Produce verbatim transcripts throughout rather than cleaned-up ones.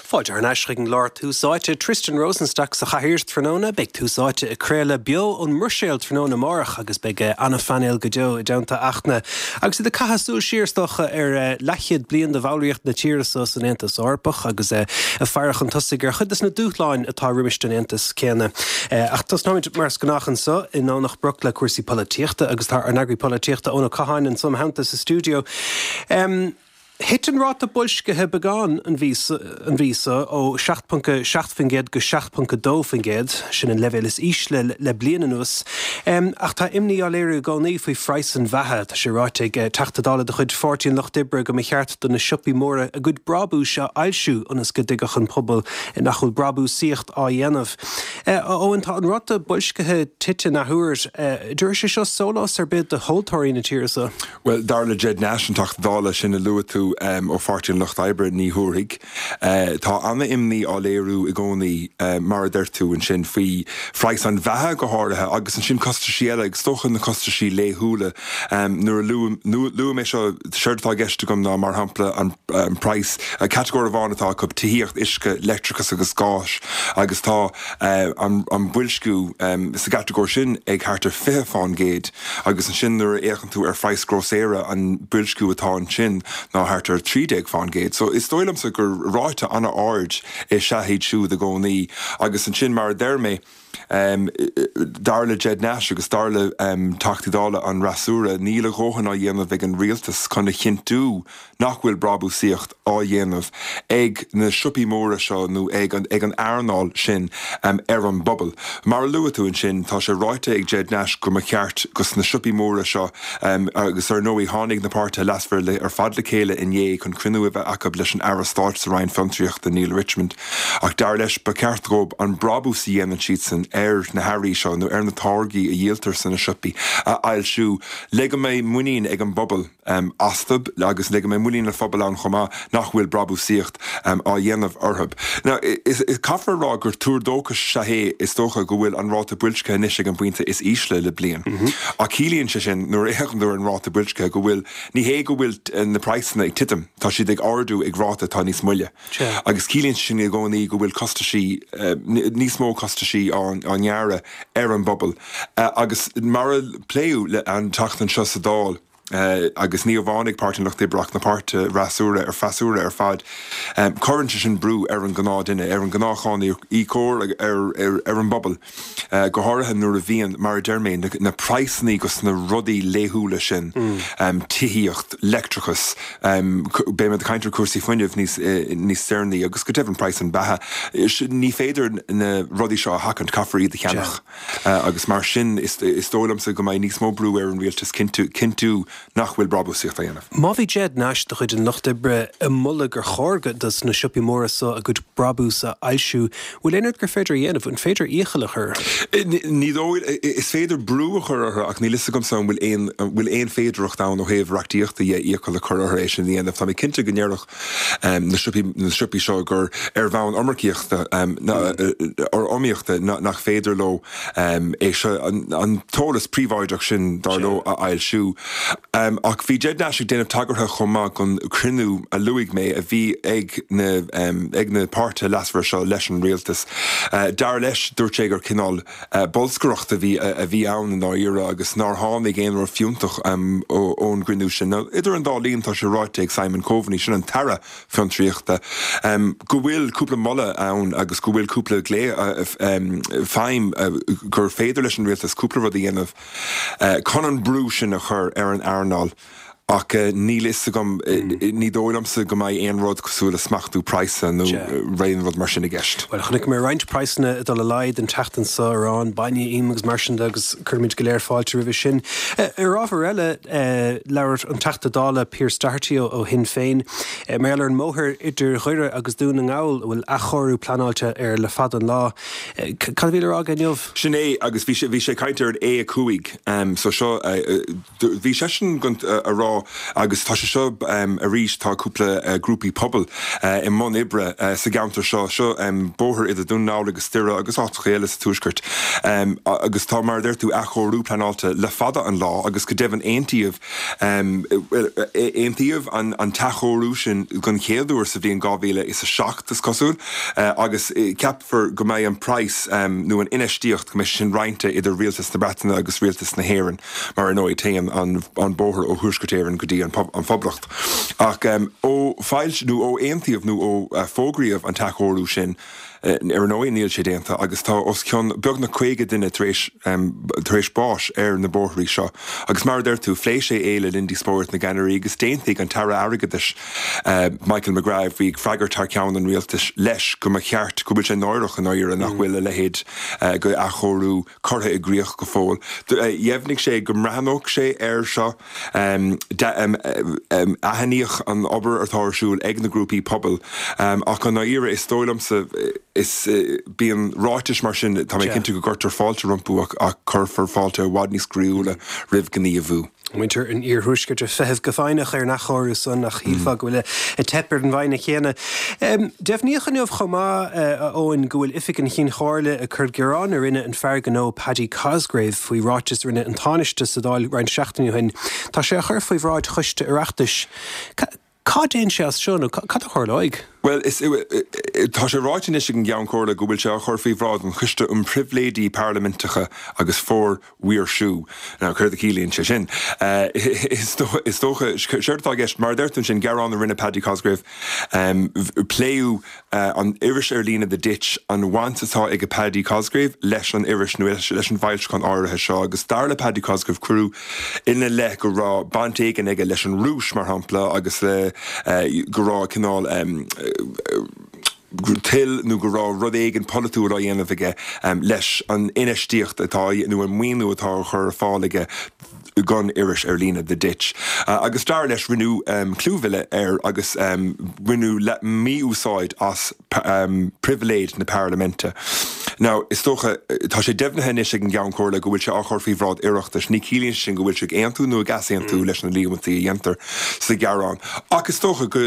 Fáilte thar n-ais chuig an gclár Tús Áite Tristan Rosenstock sa chathaoir tráthnóna, beidh Tús Áite ag craoladh beo ón mBruiséil tráthnóna amárach agus beidh an-phainéal go deo i dteannta Fhachtna. Agus iad ag caitheamh súil siar is dócha ar leathchéad bliain de bhallraíocht na tíre seo san Aontas Eorpach agus ag faire chun tosaigh ar chuid de na dúshláin atá roimis an Aontas céanna. Ach tosnóimid mar is gnách anseo i nDomhnach Broc le cúrsaí polaitíochta agus tá ár n-eagraí polaitíochta Eoin Ó Catháin anseo im theannta sa stiúideo. Um, Thit an ráta boilscithe beagán an mhí seo ó seacht ponc seacht faoin gcéad go seacht ponc dó faoin gcéad, sin an leibhéal is ísle le bliain anuas. Ach tá imní á léiriú i gcónaí faoi phraghas an bheatha. Tá sé ráite ag Teachta Dála de chuid Pháirtí an Lucht Oibre go mba cheart do na siopaí móra a gcuid brabúis a fhoilsiú ionas go dtuigfeadh an pobal nach bhfuil brabúsaíocht á dhéanamh. Eoin, tá an ráta boilscithe tite an athuair. Dtabharfaidh sé seo sólás ar bith do thomhaltóirí na tíre seo? Bhuel, dar le Ged Nash, an Teachta Dála sin a luaigh tú ó Pháirtí an Lucht Oibre, ní thabharfaidh. Tá an-imní á léiriú i gcónaí, mar a deir tú ansin, faoi phraghas an bheatha go háirithe agus ansin costaisí eile, agus is dócha na costaisí laethúla. Nuair a luaim é seo, séard atá i gceist agam ná, mar shampla, an praghas, catagóir amháin atá acu, tithíocht, uisce, leictreachas agus gás, agus tá an boilsciú sa gcatagóir sin ag thart ar fiche fán gcéad agus ansin nuair a fhéachann tú ar phraghas grósaera, an boilsciú atá ansin ná thart ar trí déag fán gcéad. So is dóigh liomsa gur ráta an-ard is ea iad siúd i gcónaí agus ansin mar a deir mé, dar le Ged Nash agus dar le Teachtaí Dála an fhreasúra, níl a dhóthain á dhéanamh ag an rialtas chun a chinntiú nach bhfuil brabúsaíocht á dhéanamh ag na siopaí móra seo nó ag an ag an earnáil sin ar an bpobal. Mar a luaigh tú ansin, tá sé ráite ag Ged Nash go mba cheart go sna siopaí móra seo agus ar ndóigh tháinig na páirtithe leasmhara ar fad le chéile inné chun cruinniú a bheith acu leis an Aire Stáit sa Roinn Fiontraíochta, Neale Richmond. Ach dar leis, ba cheart dóibh an brabús a dhéanann siadsan ar na hearraí seo nó ar na táirgí a dhíoltar sna siopaí a fhoilsiú le go mbeidh muinín ag an bpobal astu agus le go mbeidh muinín an phobail ann chomh maith nach bhfuil brabúsaíocht á dhéanamh orthu. Now, caithfear a rá gur tuar dóchais is ea é is dócha go bhfuil an ráta boilscithe anois ag an bpointe is ísle le bliain. Ach ciallaíonn sé sin, nuair a fhéachann tú ar an ráta boilscithe, go bhfuil, ní hé go bhfuil na praghsanna ag titim, tá siad ag ardú ag ráta atá níos moille. Agus ciallaíonn sé sin i gcónaí go bhfuil costaisí, níos mó costaisí á ngearradh ar an bpobal. Agus mar a pléadh an tseachtain seo sa Dáil, agus ní amháin ag Páirtí an Lucht Oibre ach na páirtithe fhreasúra ar freasúra ar fad, cuireann sé sin brú ar an gnáthdhuine, ar an ngnáthcháiníocóir, ar an bpobal, go háirithe nuair a bhíonn, mar a deir mé, na praghsanna dos na rudaí laethúla sin, tithíocht, leictreachas, beidh muid ag caint ar chúrsaí fuinnimh níos níos deireanaí agus go deimhin praghas an bheatha. Ní féidir na rudaí seo a sheachaint, caithfear iad a cheannach. Agus mar sin is dóigh liomsa go mbeidh níos mó brú ar an rialtas cinntiú nach bhfuil brabúsaíocht á dhéanamh. Má bhí Ged Nash de chuid an Lucht Oibre ag moladh gur chóir dos na siopaí móra so a gcuid brabús a fhoilsiú, bhfuil aon rud gur féidir a dhéanamh? An féidir iachall a chur orthu? Ní dóigh. Is féidir brú a chur orthu ach níl fhios agamsa an bhfuil aon an bhfuil aon féidearthacht ann ó thaobh reachtaíochta dhe iachall a chur orthu é sin a dhéanamh. Tá mé cinnte go ndéarfadh na siopaí na siopaí seo gur ar bhonn iomarcaíochta iomaíochta nach féidir leo é seo, an t-eolas príobháideach sin, dar leo, a fhoilsiú. Ach bhí Ged Nash ag déanamh tagartha chomh maith don chruinniú a luaigh mé a bhí ag na ag na páirtithe leasmhara seo leis an rialtas. Dar leis, dúirt sé gur cineál bolscaireacht a bhí a bhí ann i ndáiríre agus nár tháinig aon rud fiúntach ón gcruinniú sin. Idir an dá linn, tá sé ráite ag Simon Coveney, sin an tAire Fiontraíochta, go bhfuil cúpla moladh ann agus go bhfuil cúpla glao feidhm gur féidir leis an rialtas cúpla rud a dhéanamh chun an brú sin a chur ar an earnáil ach níl fhios agam, ní dóigh liomsa go mbeidh aon rud cosúil le smachtú praghasa nó aon rud mar sin i gceist. Bhuel, chonaic mé roinnt praghsanna ag dul i laghad an tseachtain seo, arán, bainne, im agus mar sin de agus cuirimid go léir fáilte roimhe sin. Ar ábhar eile, labhair an Teachta Dála Pearse Doherty ó Shinn Féin mar gheall ar an mbóthar idir Dhoire agus Dún na nGall a bhfuil athchóiriú pleanáilte air le fada an lá. Cad a bhí le rá aige inniu? Sin é, agus bhí sé, bhí sé ag caint ar an A a cúig, so seo, bhí seisean ag a rá Tá, agus tá sé seo arís, tá cúpla grúpaí pobail i mbun oibre sa gceantar seo, seo bóthar idir Dún na nGall agus Doire agus áiteacha eile sa Tuaisceart, agus tá, mar a deir tú, athchóiriú pleanáilte le fada an lá agus go deimhin aontaíodh, aontaíodh an t-athchóiriú sin den chéad uair sa bhliain dhá mhíle is a seacht, is cosúil, agus ceapfar go mbeidh an praghas nó an infheistíocht, go mbeidh sé sin roinnte idir Rialtas na Breataine agus Rialtas na hÉireann, mar ar ndóigh téann an bóthar ó Thuaisceart Éireann go dtí an Phoblacht. Ach ó foilsíodh nó ó aontaíodh nó ó fógraíodh an t-athchóiriú sin, ar ndóigh níl sé déanta agus tá os cionn beagnach caoga duine tar éis tar éis báis ar na bóithrí seo. Agus mar a deir tú, phléigh sé é le linn díospóireacht na gceannairí agus d'aontaigh an tAire Airgeadais, Michael McGrath, a bhí ag freagairt thar ceann an rialtais, leis go mba cheart, go bhfuil sé náireach i ndáiríre nach bhfuil a leithéid de athchóiriú curtha i gcrích go fóill. Dheimhnigh sé go mbreathnódh sé air seo. Aithníodh an obair atá ar siúl ag na grúpaí pobail ach i ndáiríre is dóigh liomsa is bíonn ráitis mar sin, tá mé cinnte go gcuirtear fáilte rompu ach cuirfear fáilte i bhfad níos croíúla roimh ghníomhú. Muintir an iarthuaiscirt ag feitheamh go foighneach ar an athchóiriú san ach shílfeá go bhfuil ag teip ar an bhfoighne chéanna. Deimhníodh inniu chomh maith, a Eoin, go bhfuil Oifig an Chinn Chomhairle ag cur gearán a rinne an fear gnó Paddy Cosgrave faoi ráiteas a rinne an Tánaiste sa Dáil roinnt seachtainí ó shin. Tá sé á chur faoi bhráid Choiste Oireachtais. Cá dtéann sé as seo nó cad a tharlóidh? Bhuel, is, tá sé ráite anois ag an gCeann Comhairle go bhfuil sé á chur faoi bhráid an Choiste um Pribhléidí Parlaiminteacha agus Formhaoirsiú. Now, céard a chiallaíonn sé sin? Is dócha, séard atá i gceist, mar a deir tú ansin, gearán a rinne Paddy Cosgrave, pléadh an iris ar líne The Ditch, an bhaint atá ag Paddy Cosgrave leis an iris nó leis an bhfoilseachán áirithe seo agus dar le Paddy Cosgrave cuireadh ina leith go raibh baint éigin aige leis an Rúis, mar shampla, agus le go raibh cineál toil nó go raibh rud éigin polaitiúil á dhéanamh aige leis an infheistíocht atá nó an maoiniú atá á chur ar fáil aige don iris ar líne The Ditch. Agus dar leis rinneadh clúmhilleadh air agus rinneadh mí-úsáid as pribhléid na parlaiminte. Now, is dócha, tá sé deimhnithe anois ag an gCeann Comhairle go bhfuil sé á chur faoi bhráid Oireachtais. Ní chiallaíonn sé sin go bhfuil sé ag aontú nó ag easaontú leis na líomhaintí a dhéantar sa ghearán. Ach is dócha go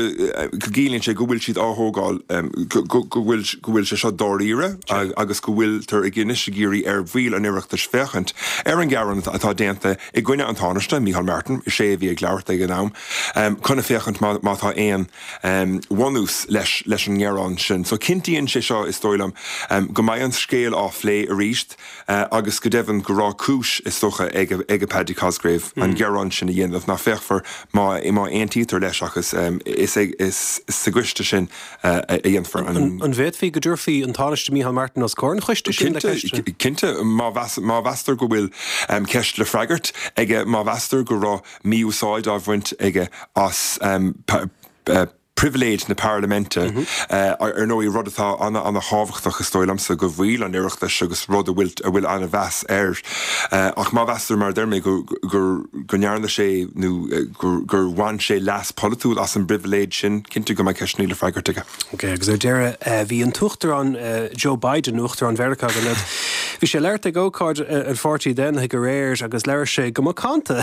gciallaíonn sé go bhfuil siad á thógáil, go bhfuil go bhfuil sé seo dáiríre agus go bhfuiltear ag anois ag iarraidh ar bhaill an Oireachtais féachaint ar an ghearán atá déanta i gcoinne an Tánaiste, Micheál Martin, is é a bhí ag labhairt ag an am, chun a féachaint má tá aon bhunús leis leis an ngearán sin. So cinntíonn sé seo, is dóigh liom, go mbeidh an scéal á phlé arís agus go deimhin go raibh cúis, is dócha, ag ag Paddy Cosgrave an gearán sin a dhéanamh. Now féachfar má má aontaítear leis ach is is is sa gcoiste sin a dhéanfar an. An bhféadfaí go dtabharfaí an Tánaiste Micheál Martin os comhair an choiste sin le ceist? Cinnte, má má mheastar go bhfuil ceist le freagairt aige, má mheastar go raibh mí-úsáid á bhaint aige as pribhléid na parlaiminte, ar ndóigh, rud atá an-an-thábhachtach, is dóigh liomsa, do bhaill an Oireachtais agus rud a bhfuil a bhfuil an-mheas air. Ach má mheastar, mar a deir mé, go gur go ndearna sé nó gur gur bhain sé leas polaitiúil as an bpribhléid sin, cinnte go mbeidh ceisteanna le freagairt aige. Ok, agus ar deireadh, bhí an tUachtarán Joe Biden, Uachtarán Mheiriceá, go Bhí sé ag labhairt ag ócáid an Pháirtí Daonlathaigh aréir agus labhair sé go macánta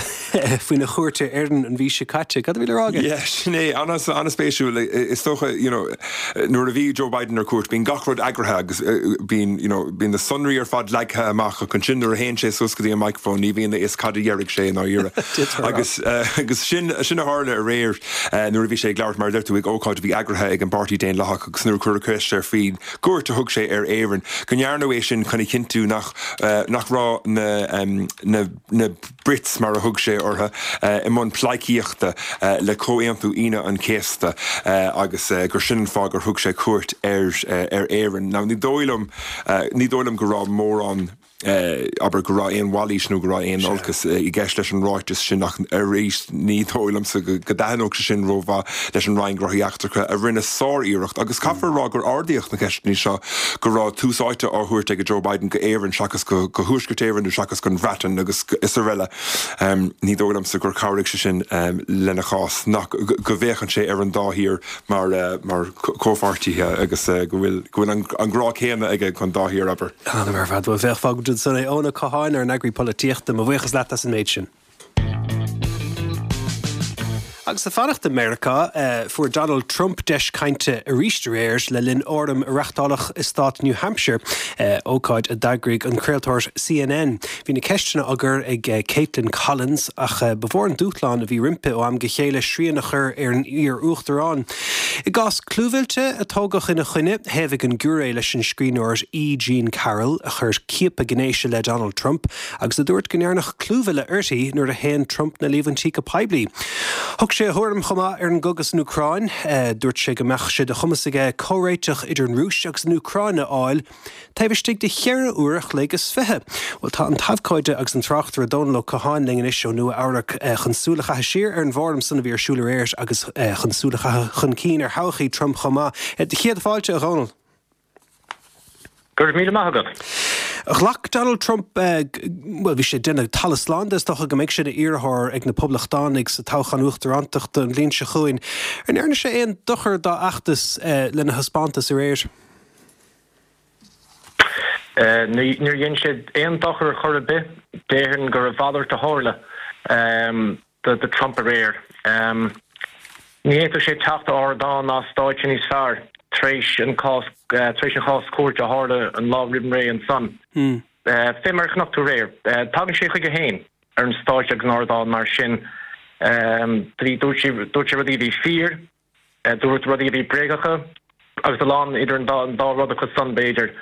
faoina chuairt ar Éirinn an mhí seo caite. Cad a bhí le rá aige? Yeah, sin é. An-spéisiúil. Is dócha, you know, nuair a bhí Joe Biden ar cuairt, bíonn gach rud eagraithe agus bíonn, you know, bíonn na sonraí ar fad leagtha amach ach ansin nuair a théann sé suas go dtí an microphone ní bhíonn a fhios cad a déarfaidh sé i ndáiríre. Agus agus sin sin a tharla aréir nuair a bhí sé ag labhairt, mar a deir tú, ag ócáid a bhí eagraithe ag an bPáirtí Daonlathach agus nuair a cuireadh ceist air faoin gcuairt a thug sé ar Éirinn, go ndearnadh é sin chun a chinntiú nach nach raibh na na na Brits, mar a thug sé orthu, i mbun pleidhcíochta le Comhaontú Aoine an Chéasta agus gur sin an fáth gur thug sé cuairt ar ar Éirinn. Now ní dóigh liom ní dóigh liom go raibh mórán abair, go raibh aon mhailís nó go raibh aon olcas i gceist leis an ráiteas sin ach arís ní dóigh liomsa go dtaitneodh sé sin rómhaith leis an Roinn Gnóthaí Eachtracha a rinne sár-iarracht agus caithfear a rá gur ardaíodh na ceisteanna seo go raibh tús áite á thabhairt ag Joe Biden go Éirinn seachas go Thuaisceart Éireann nó seachas gon Bhreatain agus is araile. Ní dóigh liomsa gur chabhraigh sé sin lena chás nach go bhféachann sé ar an dá thír mar mar comhpháirtithe agus go bhfuil go bhfuil an grá céanna aige don dá thír, abair. An-ar fad. Bhuel, bheadh fágfaimid ansan é. Eoin Ó Catháin, ár n-eagraí polaitíochta, mo bhuíochas leat as an méid sin. Agus ag fanacht i Meiriceá, fuair Donald Trump deis cainte arís aréir le linn fhóram a reáchtáladh i stát New Hampshire, ócáid a d'eagraigh an craoltóir C N N. Bhí na ceisteanna á gcur ag Kaitlan Collins, ach ba mhór an dúshlán a bhí roimpi ó am go chéile srian a chur ar an iar-uachtarán. I gcás clúmhillte a tógadh ina choinne, thaobhaigh an giúiré leis an scríbhneoir E. Jean Carroll, a chuir ciapadh gnéis i leith Donald Trump agus a dúirt go ndearnadh clúmhilleadh uirthi nuair a shéan Trump na líomhaintí go poiblí. Thug sé a thuairim chomh maith ar an gcogadh san Úcráin. Dúirt sé go mbeadh sé de chumas aige comhréiteach idir an Rúis agus an Úcráin a fháil taobh istigh de cheithre uair a chloig is fiche. Well, tá an t-abhcóide agus an tráchtaire Dónal Ó Catháin linn anois ó Nua Eabhrac chun súil a chaitheamh siar ar an bhfóram san a bhí ar siúl aréir agus chun súil a chaitheamh chun cinn ar thodhchaí Trump chomh maith. Céad fáilte, a Dhónaill. Go raibh míle maith agat. Ghlac Donald Trump, well, bhí sé déanamh talamh slán de, is dócha, go mbeidh sé ina iarrthóir ag na Poblachtánaigh sa toghchán uachtarántachta an bhliain seo chugainn. Ar ndearna sé aon dochar dá fheachtas lena thaispeántas aréir? Níor dhein sé aon dochar chor ar bith. Déarfainn gur a mhalairt a tharla do Trump aréir. Ní fhéadfadh sé teacht ar ardán ná stáitse níos fearr tar éis an cás tar éis an chás cúirte a tharla an lá roimh ré ansan. Fé mar a chonaic tú aréir, tagann sé chuige féin ar an stáitse agus an ardán mar sin. Dúirt sé dúirt sé rudaí a bhí fíor, dúirt rudaí a bhí bréagacha agus a lán idir an dá an dá rud acu san, b'fhéidir.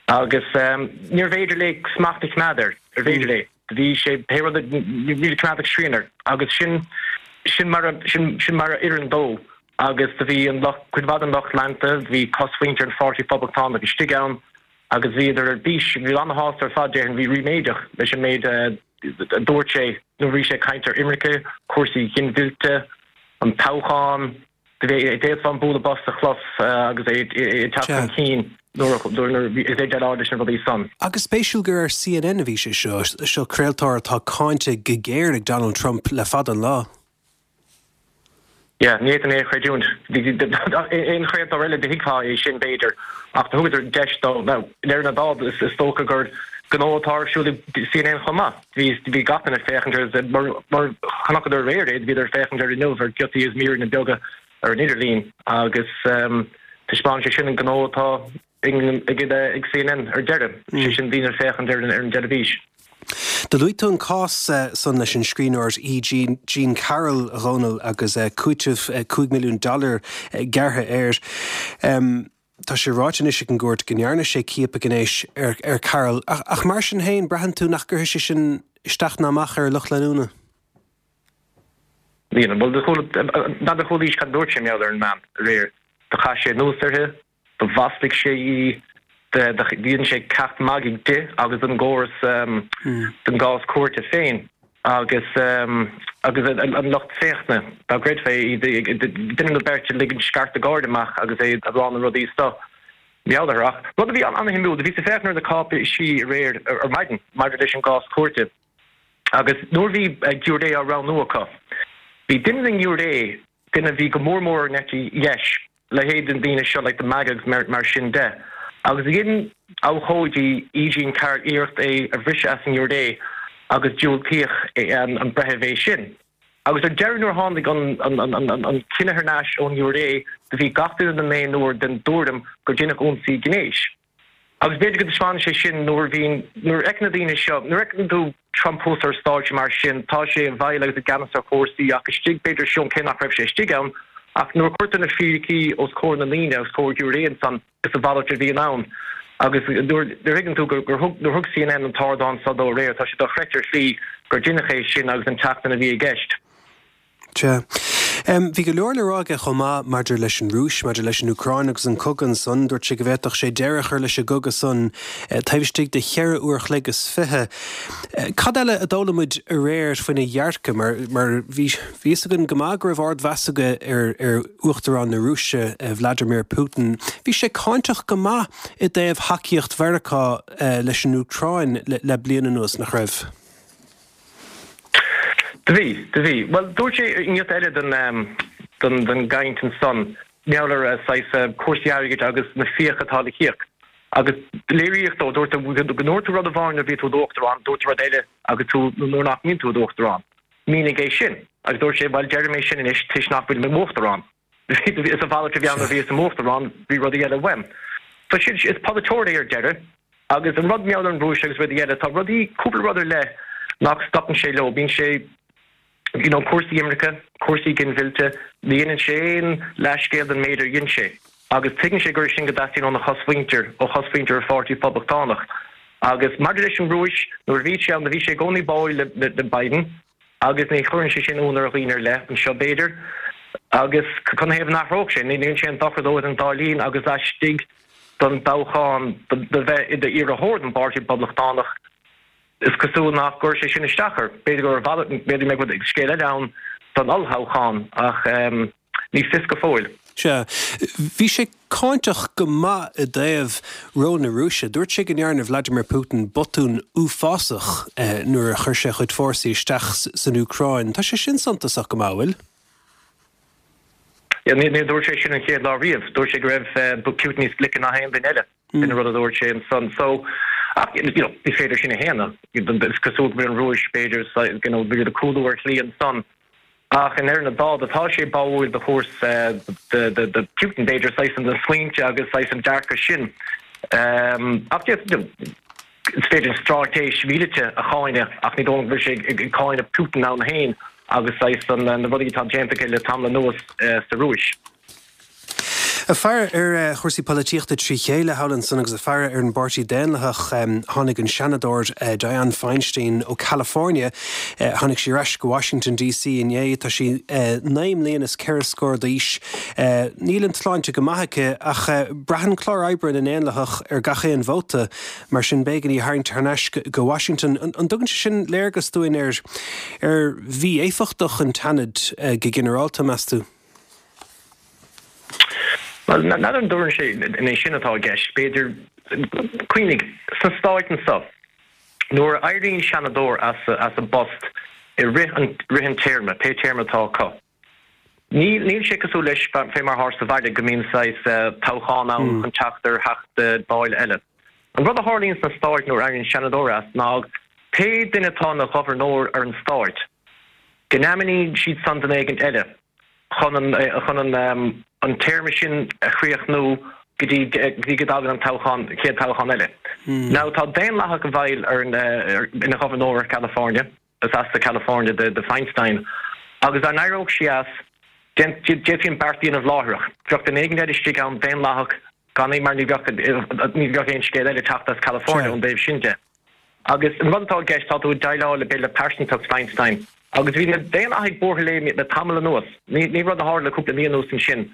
Agus níorbh fhéidir léi smacht a choimeád air, arbh fhéidir léi. Bhí sé pé rud níl coimeád ag srian air agus sin sin mar a sin sin mar a oireann dó. Agus do bhí an lucht cuid mhaith den lucht leanta, bhí cosmhuintir an Pháirtí Phoblachtánach istigh ann agus bhíodar ar bís, bhí an-shásta ar fad, déarfainn, bhí ríméadach leis an méid a dúirt sé nuair a bhí sé ag caint ar imirce, cúrsaí ginmhillte, an toghchán. D'fhéadfá an bualadh bos a chlos agus é ag teacht chun cinn nuair a bhí é ag déileáil leis na rudaí san. Agus spéisiúil gur ar C N N a bhí sé seo, seo craoltóir atá cáinte go géar ag Donald Trump le fada an lá. Yeah, ní fhéadfainn é a chreidiúint. Aon chraoltóir eile do thuigfeá é sin, b'fhéidir, ach do thugadar deis dó. Now, i ndeireadh na dála, is dócha gur gnó atá ar siúl ag C N N chomh maith. Bhí bhí gach duine ag féachaint air, mar mar chonaiceadar aréir é, bhíodar ag féachaint air inniu ar giotaí is míreanna beaga ar an idirlíon agus taispeánann sé sin an gnó atá ag ag C N N ar deireadh, sé sin daoine ag féachaint ar an dteilifís. Do luaigh tú an cás san leis an scríbhneoir E. Jean, Jean Carroll, a Dhónaill, agus cúiteamh cúig milliún dollar gearrtha air. Um, tá sé ráite anois ag an gcúirt go ndearna sé ciapadh gnéis ar, ar Carroll, ach, ach mar sin féin, braitheann tú nach gcuirfidh sé sin isteach ná amach ar lucht leanúna? Bhuel, n'fheadar chualaís cad dúirt sé mar gheall ar an mbean aréir. Do chaith sé anuas uirthi, do mhaslaigh sé í, dhein sé ceacht magaidh di agus den gcóras, den gcás cúirte féin agus agus an lucht féachana, dá gcreidfeá é, duine nó beirt ag ligint scairteadh gáire amach agus é ag rá na rudaí so. Meabhair. Ach rud a bhí an-shuimiúil, do bhíos ag féachaint ar na cáipéisí aréir ar maidin maidir leis an gcás cúirte agus nuair a bhí giúiré á roghnú acu, bhí duine den ngiúiré, duine a bhí go mór mór ar an eite dheis, leithéid den daoine seo like the MAGA agus mar, mar sin de. Agus dhein abhcóidí E. Jean Carroll iarracht é a bhriseadh as an ngiúiré agus diúltaíodh an, an breitheamh é sin. Agus ar deireadh, nuair a tháinig an, an, an, an, an cinneadh thar n-ais ón ngiúiré, do bhí gach duine den naonúr den dtuairim gur deineadh ionsaí gnéis. Agus b'fhéidir go dtaispeánann sé sin nuair a bhíonn, nuair a fheiceann na daoine seo, nuair a fheiceann tú Trump thuas ar stáitse mar sin, tá sé i bhfeighil agus i gceannas ar chúrsaí, ach istigh, b'fhéidir, seom, cé nach raibh sé istigh ann, ach nuair a cuirtear na fíricí os comhair na ndaoine, os comhair giúiré ansan, is a mhalairt a bhíonn ann. Agus nuair a thuigeann tú gur thug, nuair a thug C N N an t-ardán seo dó aréir, tá sé dochreidte ar shlí gur deineadh é sin agus an tseachtain a bhí i gceist. Sea. Bhí go leor le rá aige chomh maith maidir leis an Rúis, maidir leis an Úcráin agus an cogadh ansan. Dúirt sé go bhféadfadh sé deireadh a chur leis an gcogadh san taobh istigh de cheithre uair chloig is fiche. Cad eile a d'fhoghlaim muid aréir faoina dhearcadh, mar mar bhí bhí fhios againn go maith go raibh ardmheas aige ar ar Uachtarán na Rúise, Vladimir Putin. Bhí sé cáinteach go maith i dtaobh thacaíocht Mheiriceá leis an Úcráin le, le bliain anuas, nach raibh? Do bhí, do bhí. Bhuel, dúirt sé i ngiota eile den, den, den gcaint ansan, mar gheall ar saghas cúrsaí airgid agus na fiacha atá le híoc. Agus léiríodh dó, dúirt go ndúirt tú rud amháin nuair a bhí tú i d'uachtarán, dúirt tú rud eile agus tú nuair nach mbíonn tú i d'uachtarán. Mínigh é sin. Agus dúirt sé, bhuel, deirim é sin anois toisc nach bhfuil mé i m'uachtarán. Is a mhalairt a bhí ann nuair a bhíos i m'uachtarán, bhí rudaí eile uaim. So sin, is polaiteoir é ar deireadh. Agus an rud mar gheall ar an Rúis agus rudaí eile, tá rudaí, cúpla rud ar leith nach stopann sé leo. Bíonn sé, you know, cúrsaí imirce, cúrsaí ginmhillte, ní dhéanann sé aon leathscéal den méid ar dhein sé. Agus tuigeann sé gur é sin go dteastaíonn óna chosmhuintir, ó chosmhuintir an Pháirtí Phoblachtánach. Agus maidir leis an Rúis, nuair a bhí sé ann, do bhí sé i gcónaí báúil le, le, le Biden. Agus ní chuireann sé sin ionadh ar dhaoine ar leith anseo, b'fhéidir. Agus canathaobh a n-athródh sé? Ní dhéanann sé aon dochar dó idir an dá linn agus laistigh den dtoghchán do bheith i d'iarrthóir don bPáirtí Poblachtánach, is cosúil nach gcuirfidh sé sin isteach air. B'fhéidir gur b'fhéidir go mbeidh scéal eile ann don ollthoghchán ach ní fios go fóill. Sea. Bhí sé cáinteach go maith i dtaobh ról na Rúise. Dúirt sé go ndearna Vladimir Putin botún uafásach nuair a chuir sé a chuid fórsaí isteach san Úcráin. Tá sé sin suntasach go maith, an bhfuil? Ní dúirt sé sin an chéad lá riamh. Dúirt sé go raibh Putin níos glice ná haon duine eile. Sin an rud a dúirt sé ansan. So, ach, you know, ní féidir sin a shéanadh. Is cosúil go bhfuil an Rúis, b'fhéidir, you know, b'fhéidir cúlú ar shlí ansan. Ach i ndeireadh na dála, tá sé báúil do chúrsa, do Putin, b'fhéidir, saghas na smaointe agus saghas an dearcadh sin. Ach, you know, is féidir an straitéis mhíleata a cháineadh ach ní dóigh liom go bhfuil sé ag cáineadh Putin ann féin agus saghas na rudaí atá déanta aige le tamall anuas sa Rúis. Ag faire ar chúrsaí polaitíochta trí chéile thall ansan agus ag faire ar an bPáirtí Daonlathach, tháinig an Seanadóir Dianne Feinstein ó California, tháinig sí ar ais go Washington DC inné. Tá sí naoi mbliana is ceithre scór d'aois. Níl an tsláinte go maith aici ach braitheann clár oibre na nDaonlathach ar gach aon vóta, mar sin b'éigean í a tharraingt thar n-ais go Washington. An dtugann sé sin léargas dúinn ar ar mhí-éifeachtacht an tSeanaid go ginearálta, meas tú? Bhuel, n'fheadar an dtugann sé an é sin atá i gceist. B'fhéidir, cuimhnigh, sna Stáit anseo, nuair a éiríonn Seanadóir as as a bpost i rith an rith an téarma, pé téarma atá acu, níl níl sé cosúil leis fé mar atá sa bhaile go mbíonn saghas toghchán ann chun teacht ar Theachta Dála eile. An rud a tharlaíonn sna Stáit nuair a éiríonn Seanadóir as ná pé duine atá ina ghobharnóir ar an stáit, go n-ainmníonn siad san duine éigint eile. chun an chun an an téarma sin a chríochnú go dtí go dtí go dtagann an toghchán chéad toghchán eile. Now tá Daonlathach i bhfeighil ar an ina ghobharnóir ar California, is as do California do do Feinstein, agus dá n-éireodh sí as, d'fhéadfaí an beart a dhéanamh láithreach. Bheadh duine éigin eile istigh ann Daonlathach gan é mar ní bheadh ní bheadh aon scéal eile ag teacht as California ón dtaobh sin de. Agus an rud atá i gceist, tá tú ag déileáil le b'fhéidir le pearsantacht Feinstein. Agus bhí na Daonlathaigh buartha léi le tamall anuas. Ní ní rud a tharla le cúpla mí anuas ansin.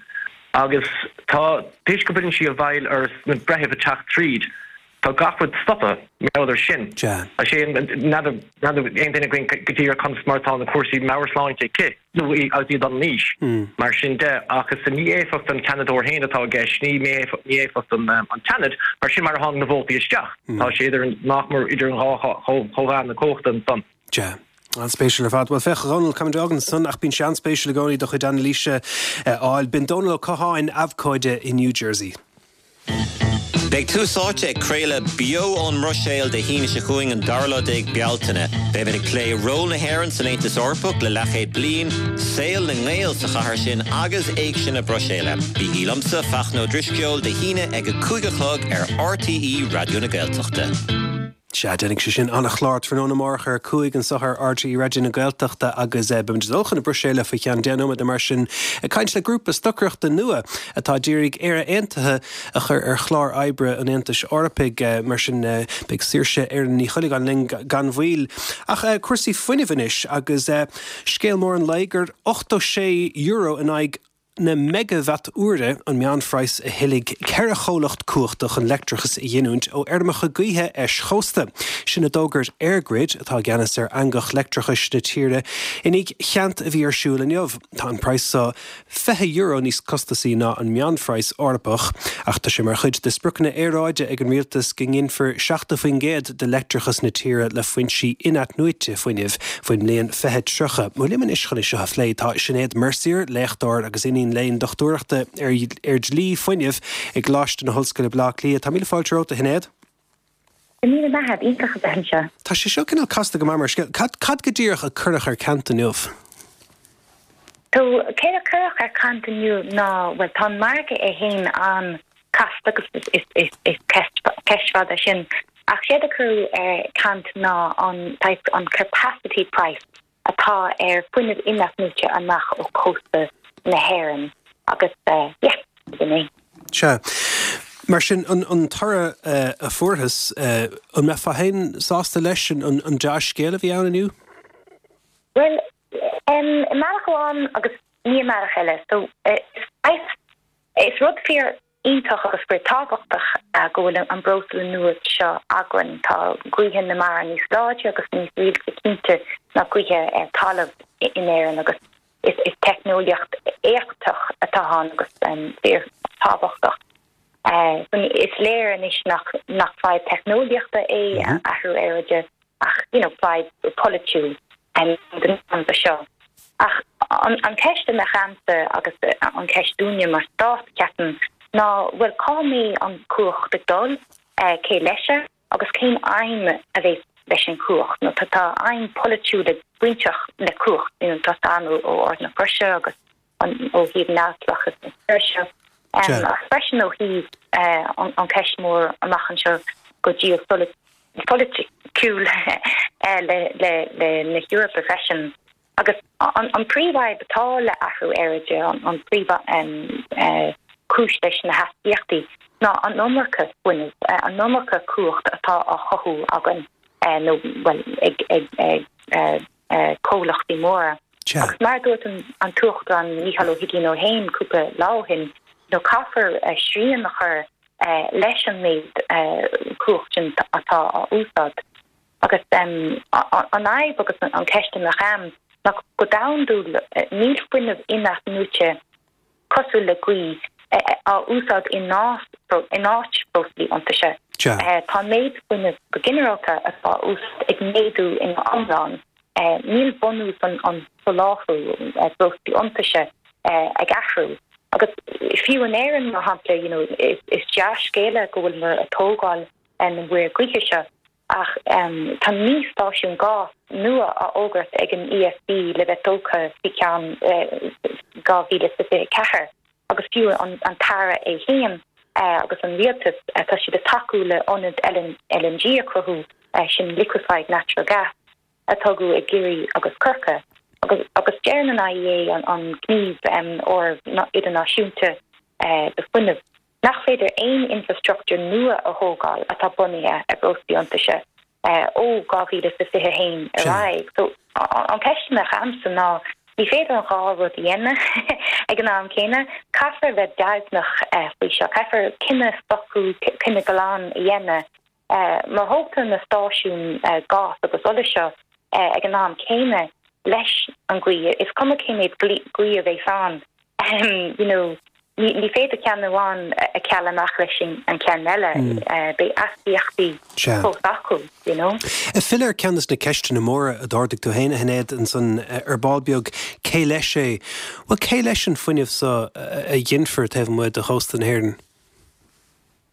Agus tá, toisc go bhfuileann sí i bhfeighil ar na breithimh ag teacht tríd, tá gach rud stoptha mar gheall ar sin. Is é an, n'fheadar, n'fheadar aon duine againn go díreach conas mar atá na cúrsaí meabhairshláinte aici, nó í agus í ag dul in aois, mar sin de. Ach is mí-éifeacht an tSeanadóir féin atá i gceist, ní mí-éifeacht an tSeanaid, mar sin mar a tháinig na vótaí isteach. Tá sé idir an, nach mór idir an dhá chomh-mheán na cumhachta ansan. Sea. An-spéisiúil ar fad. Bhuel, féach, a Dhónaill, caithfimid fágaint ansan, ach bíonn sé an-spéisiúil i gcónaí do chuid anailíse a fháil. B'in Dónal Ó Catháin, abhcóide i New Jersey. Beidh Tús Áite ag craoladh beo ón mBruiséil Dé hAoine seo chugainn an dara lá déag Bealtaine. Beimid ag plé ról na hÉireann san Aontas Eorpach le leathchéad bliain, saol na nGael sa chathair sin agus Éigse na Bruiséile. Bígí liomsa, Fachtna Ó Drisceoil, Dé hAoine ag a cúig a chlog ar RTÉ Raidió na Gaeltachta. Sea, déanfaidh sé sin an-chlár tráthnóna amárach ar a cúig anseo ar RTÉ Raidió na Gaeltachta agus beimid ag dul chun na Bruiséile faoi cheann deich nóiméad nó mar sin ag caint le grúpa stocaireachta nua atá ag iarraidh Éire Aontaithe a chur ar chlár oibre an Aontais Eorpaigh. Mar sin beidh Saoirse Éireann Ní Chuileagáin linn gan mhoill. Ach cúrsaí fuinnimh anois agus scéal mór an lae gur ochtó sé euro in aghaidh na meigeavat-uaire an meánphraghas a thuillfidh ceithre chomhlacht cumhachta chun leictreachas a ghiniúint ó fheirmeacha gaoithe eischósta. Sin a d'fhógair EirGrid, atá i gceannas ar eangach leictreachais na tíre, i ndiaidh ceant a bhí ar siúl inniu. Tá an praghas seo fiche euro níos costasaí ná an meánphraghas Eorpach, ach tá sé mar chuid de spriocanna aeráide ag an rialtas go nginfear seachtó faoin gcéad de leictreachas na tíre le foinsí in-athnuaite fuinnimh faoin mbliain fiche tríocha. Bhuel, liom anois chun é seo a phlé tá Sinéad Mercier, léachtóir agus iníon léinn dochtúireachta ar ar dhlí fuinnimh i gColáiste na hOllscoile Baile Átha Cliath. Tá míle fáilte romhat, a Shinéad. Go raibh míle maith agat, iontach a bheith anseo. Tá sé seo cineál casta go maith mar scéal. Cad cad go díreach a cuireadh ar ceant inniu? So céard a cuireadh ar caint inniu ná well tá an margadh é féin an-chasta agus is is is is ceist ceist fada sin ach séard a cuireadh ar caint ná an type an capacity price atá ar fuinneamh inathnuaite amach ó chósta na hÉireann agus uh, yeah, sin é. Sea. Mar sin an, an toradh uh, a fuarthas uh, an mbeifeá féin sásta leis an, an, an dea-scéal a bhí ann inniu? Well, um, i mbealach amháin agus ní i mbealach eile, so uh, is, is rud fíor iontach agus fíor tábhachtach uh, go bhfuil an breosla nua seo againn tá gaoithe na mara níos láidre agus níos rialta cinnte ná gaoithe ar talamh in Éirinn agus is, is teicneolaíocht éachtach atá ann agus um, fíor tábhachtach. Uh, is léir anois nach nach fadhb teicneolaíochta é mm -hmm. athrú aeráide ach you know, fadhb polaitiúil um, den seo. Ach an, an ceist a mbeadh a'msa agus an ceist dúinne mar stát ceapaim ná bhfuil cá mbeidh an chumhacht ag dul uh, cé leis agus cén aidhm a bheidh leis an chumhacht nó tá tá aidhm polaitiúil bainteach le cumhacht in tá ó Ard na Croise agus an ó thaobh neamhspleáchas na seo. Um, freisin ó thaobh uh, an, an ceist mór amach anseo go geopholaitiúil uh, le, le, le na hEorpa freisin. Agus an, an príomhfhadhb atá le athrú aeráide an, an príomh um, uh, cúis leis na hastaíochtaí ná an iomarca fuinnimh uh, an iomarca cumhacht atá á chothú againn uh, nó well, ag, ag, ag uh, uh, comhlachtaí móra. Agus mar dúirt an, an tUachtarán Micheál Ó hUiginn ó féin cúpla lá ó shin nó caithfear uh, srian a chur uh, leis an méid uh, cumhacht sin atá á úsáid. Agus um, an fhadhb agus an ceist a bheadh a'm ná go domhandúil níl fuinneamh inathnuaite cosúil le gaoth á úsáid in in áit breoslaí iontaise. Tá méid fuinnimh go ginearálta atá úsáid ag méadú in iomlán. Níl bunús an an soláthar breoslaí iontaise ag athrú. Agus fiú in Éirinn mar shampla you know, is, is dea-scéala go bhfuil muid ag tógáil an mhuir gaoithe seo ach um, tá naoi stáisiún gás nua á fhógairt ag an ESB le bheith tógtha faoi cheann dhá mhíle fiche ceathair agus fiú an, an tAire é féin uh, agus an rialtas uh, tá siad ag tacú le ionad LNG a chruthú uh, sin liquefied natural gas a tógadh i gCiarraí agus Corcaigh. Agus, agus deir an IEA an, an gníomh um, or idirnáisiúnta uh, do fuinneamh. Nach féidir aon infrastructure nua a thógáil atá bunaithe ar breoslaí iontaise uh, ó dhá mhíle is fiche haon ar aghaidh. So an ceist a bheadh a'msa ná ní féidir an dhá rud a dhéanamh ag an am céanna, caithfear bheith deimhneach uh, faoi seo, caithfear cinneadh socrú cinneadh glan a dhéanamh. Uh, má thógtar na stáisiún uh, gás agus ola seo uh, ag an am céanna leis an gaoth, is cuma cén méid gaoth a bheidh ann. Um, you know, ní, ní féidir ceann amháin a cheal amach leis an ceann eile mm. uh, beidh astaíochtaí fós acu, you know. Filleadh ar ceann de na ceisteanna móra a d'ardaigh tú féin a Shinéad ansan ar ball beag cé leis é, Well cé leis an fuinneamh seo a ghinfear taobh amuigh de chósta na hÉireann?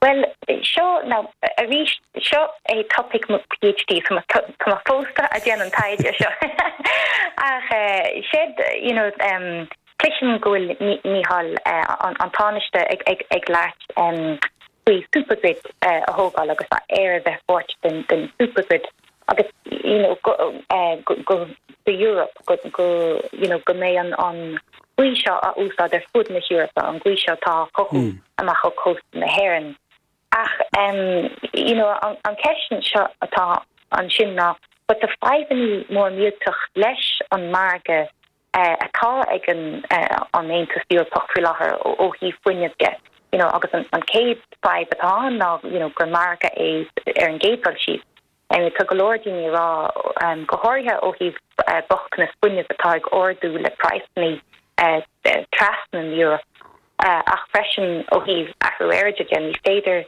Well, seo now arís seo é topic mo PhD tá tá fós ag déanamh an taighde seo. Ach uh, siad you know um, Cloisim go bhfuil Micheál uh, an, an Tánaiste ag, ag, ag labhairt um, faoi supergrid uh, a thógáil agus Éire a bheith páirt den, den supergrid agus you know, go, uh, go, go the Europe go, go, you know, go mbeidh an an ghaoth seo á úsáid ar fud na hEorpa an ghaoth seo atá chothú mm. amach ó chósta na hÉireann. Ach um, you know, an, an ceist seo atá ansin ná, but tá fadhbanna mór millteach leis an margadh uh, atá ag an uh, an Aontas Eorpach faoi láthair ó thaobh fuinnimh de. You know, agus an, an chéad fadhb atá ná you know, gur margadh é ar an gcéad dul síos. Um, tá go leor daoine ag rá um, go háirithe ó thaobh uh, bochtanas fuinnimh atá ag ardú le praghsanna uh, trasna an Europe. Uh, ach freisin ó thaobh athrú aeráide de ní féidir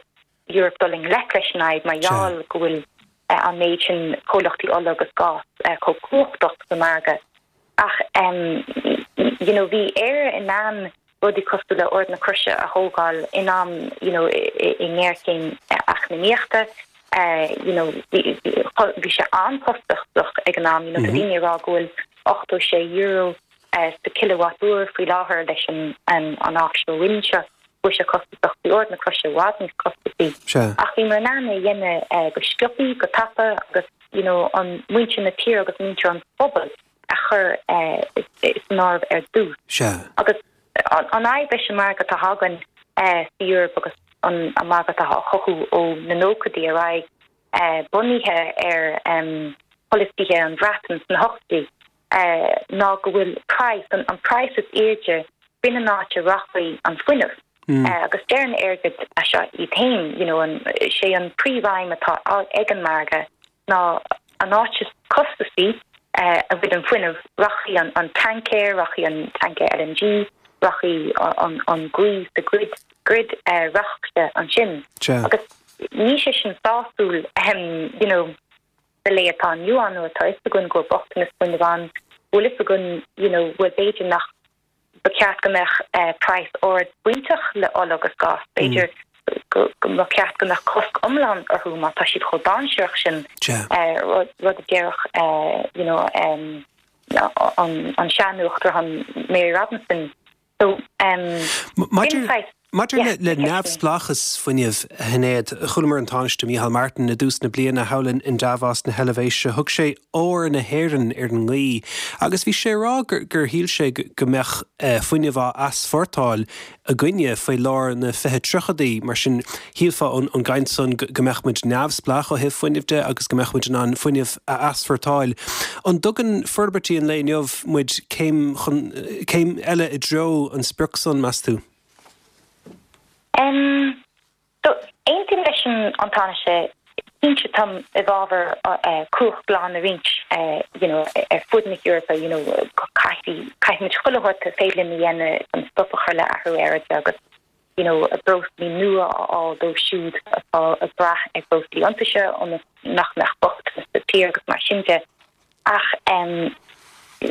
Europe dul i ngleic leis an fhadhb mar gheall go bhfuil uh, an méid sin comhlachtaí ola agus gás uh, chomh cumhachtach sa margadh. Ach um, you know, bhí Éire in ann rudaí cosúil le Ard na Croise a thógáil in am you know, i ngéarchéim eacnamaíochta. Uh, you know, bhí sé an-chostasach ag an am you know, mm -hmm. daoine rá go bhfuil ochtó sé euro sa kilowatt-uair faoi láthair leis an an offshore wind seo bhí sé costasach bhí Ard na Croise i bhfad níos costasaí. Ach bhíomar in ann é a dhéanamh go sciobtha, go tapa agus you know an muintir na tíre agus muintir an phobail a chur san áireamh ar dtús. Agus an fhadhb leis an margadh atá againn sa Eoraip agus an margadh atá á chothú ó na nóchaidí ar aghaidh bunaithe ar pholasaithe an Bhreatain sna hochtóidí ná go bhfuil praghas, an praghas is airde, b'in an áit a rachaidh an fuinneamh. Agus deir an airgead seo iad féin, you know, an, sé an príomhaidhm atá ag an margadh ná an áit is costasaí a bhfuil an fuinneamh, rachaidh an, an tancaer, rachaidh an tancaer LNG, rachaidh an, an gaoth sa grid, grid, rachaidh sé ansin. Agus níl sé sin sásúil, you know, sa lá atá inniu ann nuair atá fhios againn go bhfuil bochtanas fuinnimh ann, bhfuil fhios againn, you know, bhuel b'fhéidir nach ba cheart go mbeadh praghas ard bainteach le ola agus gás, b'fhéidir go mba cheart go mbeadh cosc iomlán orthu má tá siad chomh dainséarach sin, rud a déarfadh, you know, an sean-uachtarán Mary Robinson. So, Maidir Maidir le neamhspleáchas fuinnimh, a Shinéad, chualamar an Tánaiste Micheál Martin i dtús na bliana thall in Davos na hEilvéise. Thug sé ór na hÉireann ar an ngaoth agus bhí sé ag rá gur shíl sé go mbeadh fuinneamh á easpórtáil againne faoi lár na fiche tríochaidí. Mar sin, shílfeá ón gcaint san go mbeadh muid neamhspleách ó thaobh fuinnimh de agus go mbeadh muid in ann fuinneamh a easpórtáil. An dtugann forbairtí an lae inniu muid céim chun, céim eile i dtreo an sprioc san, meas tú? Um, so, aontaím leis an an Tánaiste, cinnte táim i bhfabhar uh, cumhacht glan a roinnt uh, you know, ar fud na hEorpa, you know, caithfidh caithfimid chuile shórt is féidir linn a dhéanamh chun stop a chur le athrú aeráide agus you know, breoslaí nua a fháil dóibh siúd atá ag brath ar bhreoslaí iontaise ionas nach mbeadh bochtanas sa tír agus mar sin de. Ach um,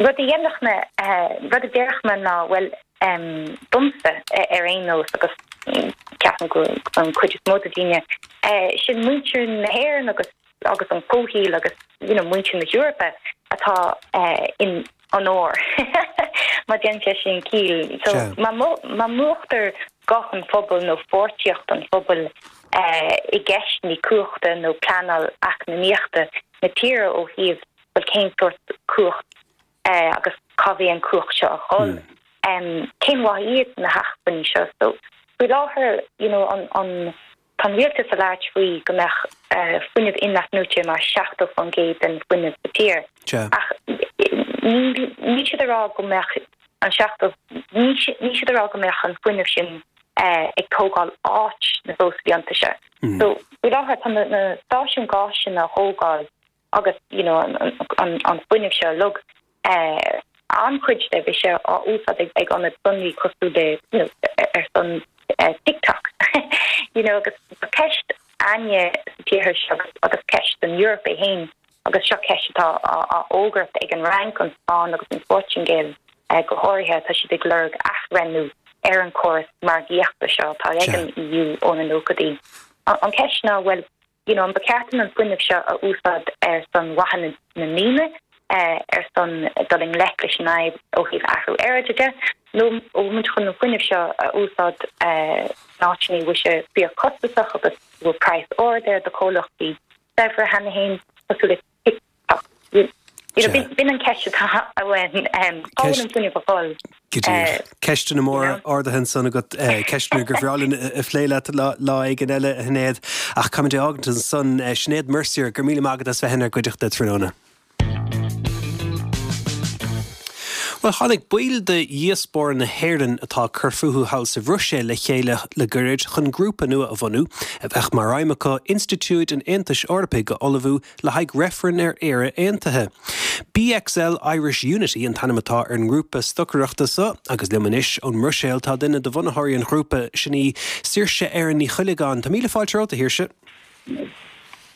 rud a dhéanfadh mé, rud a déarfadh mé ná, bhuel, domsa ar aon nós agus ceapaim go an cuid is mó de daoine, sin muintir na hÉireann agus agus an comhshaol agus you know muintir na hEorpa atá in onóir má déanann sé sin ciall. So má má múchtar guth an phobail nó pháirtíocht an phobail i gceisteanna cumhachta nó pleanáil eacnamaíochta na tíre ó thaobh bhuel cén sórt cumhacht agus cá bhfuil an cumhacht seo a dhul. Cén mhaith iad na hacmhainní seo? So faoi láthair you know an an tá an rialtas ag labhairt faoi go mbeadh fuinneamh in-athnuaite mar seachtó faoin gcéad den fuinneamh sa tír. Ach níl siad ag rá go mbeadh an seachtó níl siad ag rá go mbeadh an fuinneamh sin ag tógáil áit na breoslaí iontaise. So faoi láthair tá na stáisiúin gáis sin á thógáil agus you know an an an fuinneamh seo uilig eh an-chuid de bhí sé á úsáid ag ag ionaid sonraí cosúil le you know ar son eh TikTok you know agus tá ceist againne sa tír seo agus agus ceist don Eoraip é féin agus seo ceist atá á á fhógairt ag an Fhrainc, an Spáinn agus an Phortaingéil eh go háirithe tá siad ag lorg athbhreithniú ar an chóras margaíochta seo atá ag an EU ó na nóchaidí. An ceist ná bhuel you know, an ba cheart dúinn an fuinneamh seo a úsáid ar son mhaithe na ndaoine, ar son dul i ngleic leis an fhadhb ó thaobh athrú aeráide de, nó an bhfuil muid chun an fuinneamh seo a úsáid in áiteanna a bhfuil sé fíorchostasach agus a bhfuil praghas ard air do chomhlachtaí saibhre cheana féin, cosúil le TikTok. You know, b'in an ceist atá againn, cá bhfuil an fuinneamh ag dul? Go díreach. Ceisteanna móra ardaithe ansan agat, ceisteanna gur bhreá linn a phlé leat lá éigin eile, a Shinéad. Ach caithfimid é a fhágaint ansan. Sinéad Mercier, go raibh míle maith agat as bheith inár gcuideachta tráthnóna. Bhuel, tháinig baill de dhiaspóra na hÉireann atá ag cur fúthu thall sa Bhruiséil le chéile le gairid chun grúpa nua a bhunú, a bheadh mar aidhm acu institiúid an Aontais Eorpaigh a ullmhú le haghaidh reifreann ar Éire Aontaithe. BXL Irish Unity an t-ainm atá ar an ngrúpa stocaireachta seo agus liom anois ón mBruiséil tá duine de bhunaitheoirí an ghrúpa, sin í Saoirse Erin Ní Chuilleagáin. Tá míle fáilte romhat, a Shaoirse.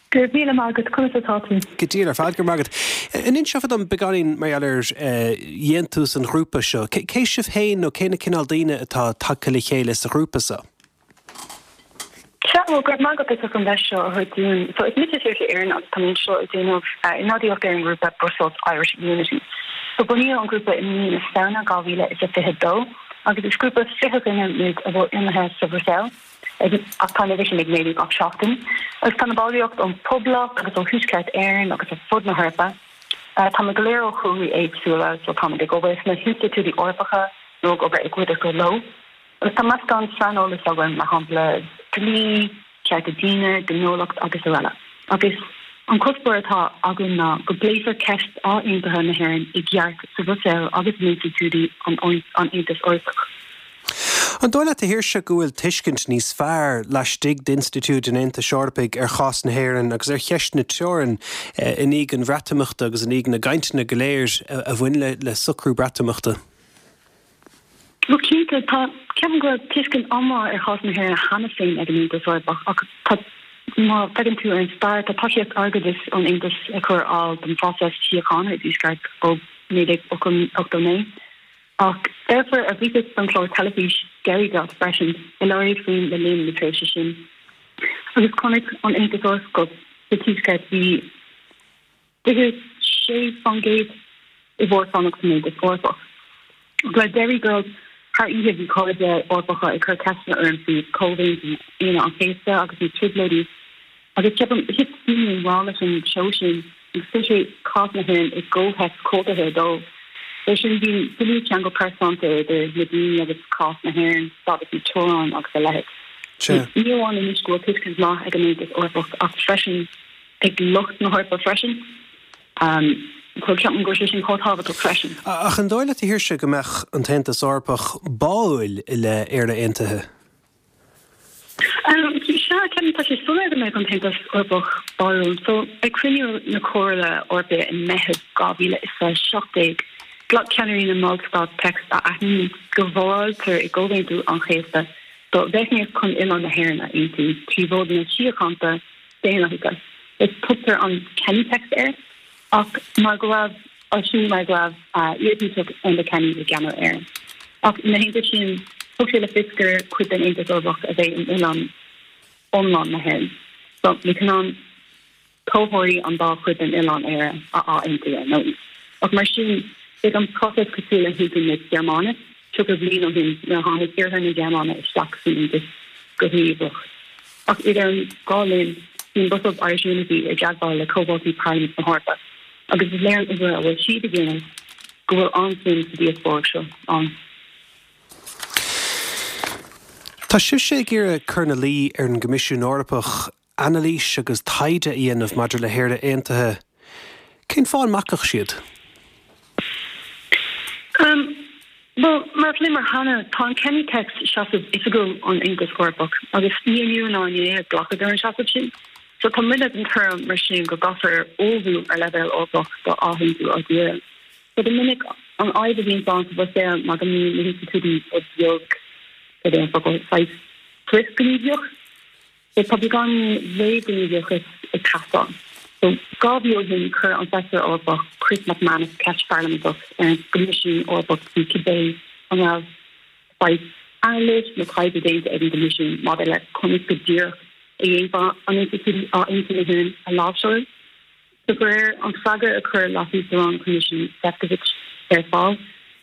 Go raibh míle maith agat, conas atá tú? Go diail ar fad, go raibh maith agat. An inseofá dom beagáinín mar gheall ar dhéantús an ghrúpa seo? Cé sibh féin nó cé na cineál daoine atá tagtha le chéile sa ghrúpa seo? Sea, bhuel, go raibh maith agat as an deis seo a thabhairt dúinn. So, is mise Saoirse Erin agus tá mé anseo ag déanamh ionadaíocht ar an ngrúpa Brussels Irish Unity. So bunaíodh an grúpa i mí na Samhna dhá mhíle is a fiche dó agus is grúpa fiche duine muid a bhfuil lonnaithe sa Bhruiséil, ach tá an uimhir sin ag méadú gach seachtain. Agus tá na ballraíocht ón Phoblacht agus ó Thuaisceart Éireann agus ó fud na hEorpa. Táimid go léir ó chúlraí éagsúla, so táimid ag obair sna hinstitiúidí Eorpacha nó ag obair i gcuideachta leo. Agus tá meascán saineolas againn, mar shampla dlí, cearta daonna, gnólacht agus araile. Agus an cuspóir atá againn ná go bpléifear ceist athaontaithe na hÉireann i gceart sa Bhruiséil agus in institiúidí an Aontais Eorpaigh. An dóigh leat, a Shaoirse, go bhfuil tuiscint níos fearr laistigh d'institiúid an Aontais Eorpaigh ar chás na hÉireann agus ar cheist na teorann i ndiaidh an Bhreatimeachta agus i ndiaidh na gcainteanna go léir a bhain le socrú Breatimeachta? Bhuel cinnte, tá, ceapaim go raibh tuiscint an-mhaith ar chás na hÉireann cheana féin ag an Aontas Eorpach ach tá, má fhéachann tú ar an stair, tá tacaíocht airgeadais ón Aontas ag cur ar fáil don phróiseas síochána i dTuaisceart ó naoi déag ochtó naoi. Ach deirfiúr a bhí don chlár teilifís Derry Girls freisin a labhair faoi le linn na tréimhse sin. Agus chonaic an Aontas Eorpach go sa Tuaisceart bhí fiche sé faoin gcéad i bhfabhar fanacht san Aontas Eorpach. Le Derry Girls thar oíche bhí cairde Eorpacha ag cur ceisteanna orm faoi Chomhaontú Aoine an Chéasta agus na Trioblóidí agus ceapaim thit daoine i ngrá leis an seó sin agus chuir sé cás na hÉireann i gcomhthéacs cultúrtha dóibh. Leis sin bíonn dlúthcheangal pearsanta idir na daoine agus cás na hÉireann, stádas na teorann agus a leithéid. Ní amháin anois go bhfuil tuiscint mhaith ag an Aontas Eorpach ach freisin ag lucht na hEorpa freisin. So ceapaim go bhfuil sé sin chomh tábhachtach freisin. Ach an dóigh leat, a Shaoirse, go mbeadh an tAontas Eorpach báúil i leith Éire Aontaithe? Sea, ceapaim tá sé soiléir go mbeadh an tAontas Eorpach báúil. So ag cruinniú na Comhairle Eorpaí i Meitheamh dhá mhíle is a seacht déag, ghlac ceannairí na mBallstát téacs a aithníonn go bhforáiltear i gComhaontú an Chéasta do mheicníocht chun oileán na hÉireann a aontú trí mhodhanna síochánta daonlathacha. Is tugtar an Kenny Text air, ach mar go raibh sin mar go raibh iar-Thaoiseach Enda Kenny i gceannas air. Ach ina theannta sin, thug sé le fios gur cuid den Aontas Eorpach a bheidh in oileán iomlán na hÉireann. So ní chan toghthóirí an dá chuid den oileán Éire a athaontú ar ndóigh. Ach mar sin, beidh an próiseas cosúil le haontú na Gearmáine tríocha bliain ó shin nuair a tháinig iarthar na Gearmáine isteach san Aontas go gníomhach. Ach idir an dhá linn, bíonn Brussels Irish Unity i dteagmháil le comhaltaí Parlaimint na hEorpa agus is léir an obair a bhfuil siad a dhéanamh go bhfuil an-suim sa díospóireacht seo ann. Tá sibhse ag iarraidh cur ina luí ar an gCoimisiún Eorpach anailís agus taighde a dhéanamh maidir le hÉire Aontaithe. Cén fáth an mbacfadh siad? Bhuel, mar a phléamar cheana, tá an Kenny Text seasamh oifigiúil an Aontais Eorpach agus ní inniu ná inné a glacadh ar an seasamh sin. So tá muidne den tuairim mar sin go gcaithfear ullmhú ar leibhéal Eorpach do athaontú ár dtíre. So go minic an fhadhb a bhíonn ann sa Bhruiséil ná go mbíonn na hinstitiúidí rud beag, cad é an focal, saghas frithghníomhach. So tá beagáinín réamhghníomhachas ag teastáil. So dhá mhí ó shin chuir an Feisire Eorpach Chris MacManus ceist pharlaiminteach ar an gCoimisiún Eorpach faoi cibé an raibh saghas anailís nó taighde déanta ag an gCoimisiún maidir le conas go díreach a dhéanfá an institiúidí athaontú na hÉireann a láimhseáil. De réir an freagra a chuir Leas-Uachtarán an Choimisiúin Šefčovič ar fáil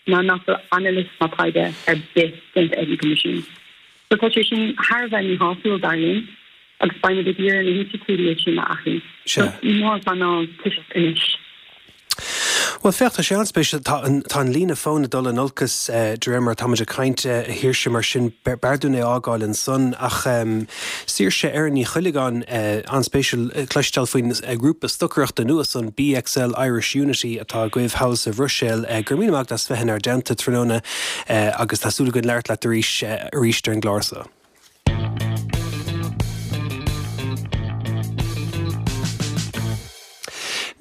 ná nach bhfuil anailís ná taighde ar bith déanta ag an gCoimisiún. So tá sé sin thar a bheith míshásúil dar linn agus beimid ag iarraidh na hinstitiúidí sin a athrú. Sea. Ní mór an pleanáil toiseacht anois. Bhuel, féach, tá sé an-spéisiúil. Tá an, tá an líne fóin ag dul in olcas de réir mar atáimid ag caint, a Shaoirse, mar sin b'fhearr dúinn é a fhágáil ansan. Ach Saoirse Erin Ní Chuilleagáin, an-spéisiúil cloisteáil faoin ghrúpa stocaireachta nua san, BXL Irish Unity, atá agaibh thall sa Bhruiséil. Go raibh míle maith agat as bheith inár dteannta tráthnóna agus tá súil againn labhairt leat arís, arís ar an gclár seo.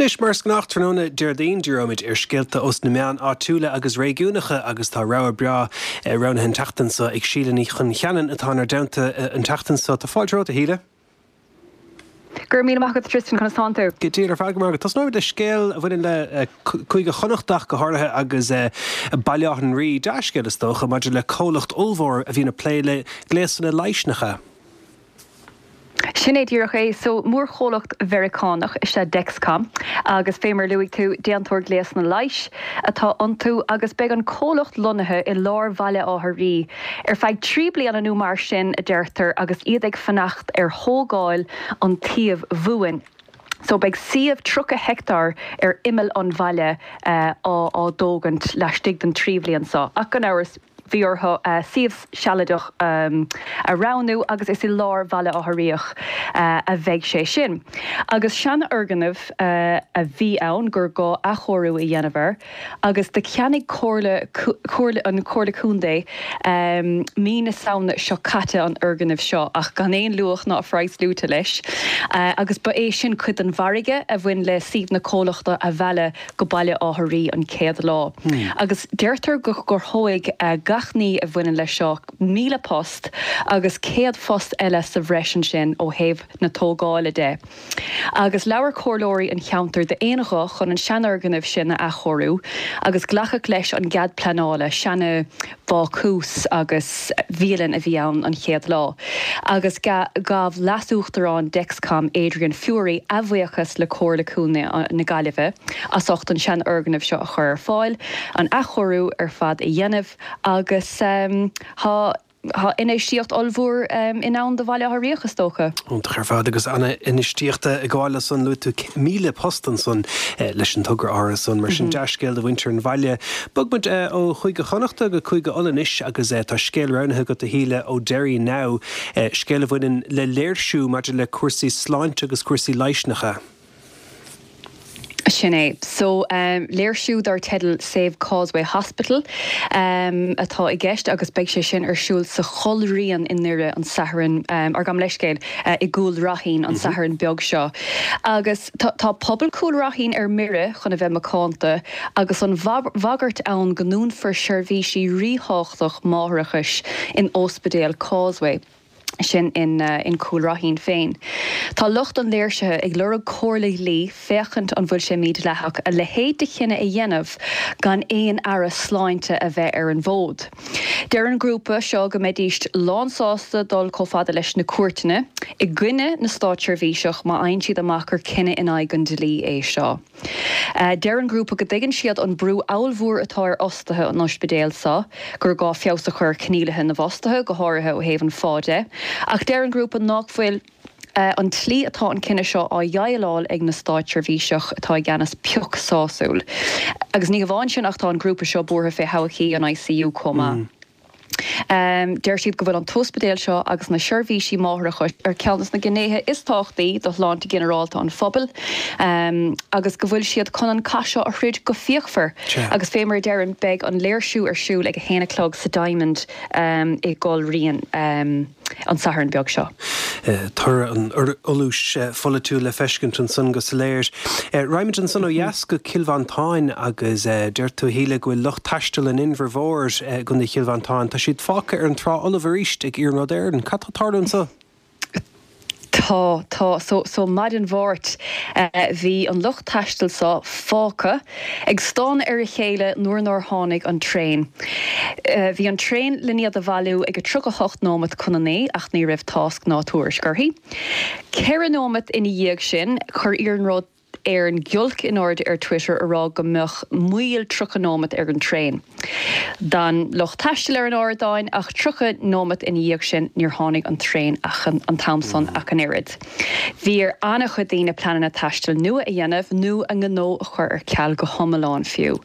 Anois, mar is gnách tráthnóna Déardaoin, díreoimid ar scéalta ós na meáin áitiúla agus réigiúnacha agus tá rogha breá roghnaithe an tseachtain seo ag Síle Ní Choncheanainn atá inár dteannta an tseachtain seo. Tá fáilte romhat, a Shíle. Go raibh míle maith agat, Tristan, conas tánn tú? Go diail ar fad, go maith agat. Tosnóimid le scéal a bhaineann le Cúige Chonnacht ach go háirithe agus Baile Átha an Rí, dea-scéal is dócha, maidir le comhlacht ollmhór a bhíonn ag plé le gléasanna leighis, nach ea? Sin é díreach é. So mórchomhlacht Mheiriceánach is ea Dexcom agus fé mar luaigh tú déantóir gléasanna leighis atá iontu agus beidh an comhlacht lonnaithe i lár Bhaile Átha Rí ar feadh trí bliana nó mar sin a deirtear agus iad ag fanacht ar thógáil an tsuímh bhuain. So beidh suíomh tríocha heicteár ar imeall an bhaile á á dtógaint laistigh den trí bhliain seo. Ach gan amhras bhí orthu suíomh sealadach a roghnú agus is i lár Bhaile Átha Ríoch a bheidh sé sin. Agus seanfhoirgneamh a bhí ann gur gá athchóiriú a dhéanamh air agus do cheannaigh Comhairle Comhairle an Chomhairle Contae mí na Samhna seo caite an fhoirgneamh seo ach gan aon luach ná phraghas luaite leis agus ba é sin cuid den mhargadh a bhain le suíomh na comhlachta a mhealladh go Baile Átha Rí an chéad lá. Agus deirtear go gcruthóidh gach ní a bhaineann leis seo míle post agus céad post eile sa bhreis ansin ó thaobh na tógála de. Agus labhair comhairleoirí an cheantair d'aon ghuth chun an seanfhoirgneamh sin a athchóiriú agus glacadh leis an gcead pleanála, seana bhácús agus bhialann a bhí ann an chéad lá. Agus ghabh leas-uachtarán Dexcom Adrian Furey a bhuíochas le Comhairle Contae na Gaillimhe as ucht an seanfhoirgneamh seo a chur ar fáil, an athchóiriú ar fad a dhéanamh agus tá tá infheistíocht ollmhór i ndán do Bhaile Átha Ríoch is dócha. Iontach ar fad agus an-infheistíocht ag gabháil leis san luaigh tú míle post ansan leis an togra áirithe san mar sin dea-scéal do mhuintir an bhaile. Bog muid ó Chúige Chonnachta go Cúige Uladh anois agus tá scéal roghnaithe agat a Shíle ó Derry Now, scéal a bhaineann le léirsiú maidir le cúrsaí sláinte agus cúrsaí leighis nach ea? Sin é. So um, léirsiú dar teideal Save Causeway Hospital um, atá i gceist agus beidh sé sin ar siúl sa Chúil Raithin i nDoire an Satharn um, ar gabh mo leithscéal uh, i gCúil Raithin an mm -hmm. Satharn beag seo. Agus tá, tá pobal Chúil Raithin ar mire chun a bheith macánta agus an bhagairt ann go ndúnfar seirbhísí ríthábhachtach máithreachais in Ospidéal Causeway. sin in, uh, in Cúil Raithin féin. Tá lucht an léirsithe ag lorg comhairle dlí féachaint an bhfuil sé mídhleathach a leithéid de chinneadh a dhéanamh gan aon aire sláinte a bheith ar an bhfód. Deir an grúpa seo go mbeidís lánsásta dul chomh fada leis na cúirteanna i gcoinne na státseirbhíseach má fhaigheann siad amach gur cinneadh in aghaidh an dlí é seo. Uh, deir an grúpa go dtuigeann siad an brú ollmhór atá ar fhostaithe an ospidéil seo, gur gá feabhas a chur ar choinníollacha na bhfostaithe go háirithe ó thaobh an phá de. Ach deir an grúpa nach bhfuil uh, an tslí atá an cinneadh seo á dhéileáil ag na státseirbhíseach atá i gceannas pioc sásúil. Agus ní hamháin sin ach tá an grúpa seo buartha fé thodhchaí an ICU chomh maith. Mm. Um, deir siad go bhfuil an t-ospidéal seo agus na seirbhísí máithreachais ar ceann de na gnéithe is tábhachtaí do shláinte ginearálta an phobail um, agus go bhfuil siad chun an cath seo a throid go fíochmhar agus fé mar a deirim beidh an léirsiú ar siúl ag a haon a chlog sa Diamond um, i gCúil Raithin um, an Satharn beag seo. Toradh an fholúis pholaitiúil le feiscint ansan go soiléir. Raghaimid ansan ó dheas go Cill Mhantáin agus deir tú a Shíle go bhfuil lucht taistil an Inbhir Mhóir i gContae Chill Mhantáin, Tá siad fágtha ar an trá fholamh arís ag Iarnród Éireann. Cad tá ag tarlú anso? Tá tá so so maidin Mháirt uh, bhí an lucht taistil seo fágtha ag stánadh ar a chéile nuair nár tháinig an traein. Uh, bhí an traein le iad a bhailiú ag a tríocha hocht nóiméad chun a naoi ach ní raibh tásc ná tuairisc uirthi. Ceithre nóiméad ina dhiaidh sin chuir Iarnród Éireann giolc in airde ar Twitter a rá go mbeadh moill tríocha nóiméad ar an traein. D'fhan lucht taistil ar an ardáin ach tríocha nóiméad ina dhiaidh sin níor tháinig an traein ach an, an t-am san ach an oiread. Bhí ar an-chuid daoine pleananna taistil nua a dhéanamh nó a ngnó a chur ar ceal go hiomlán fiú.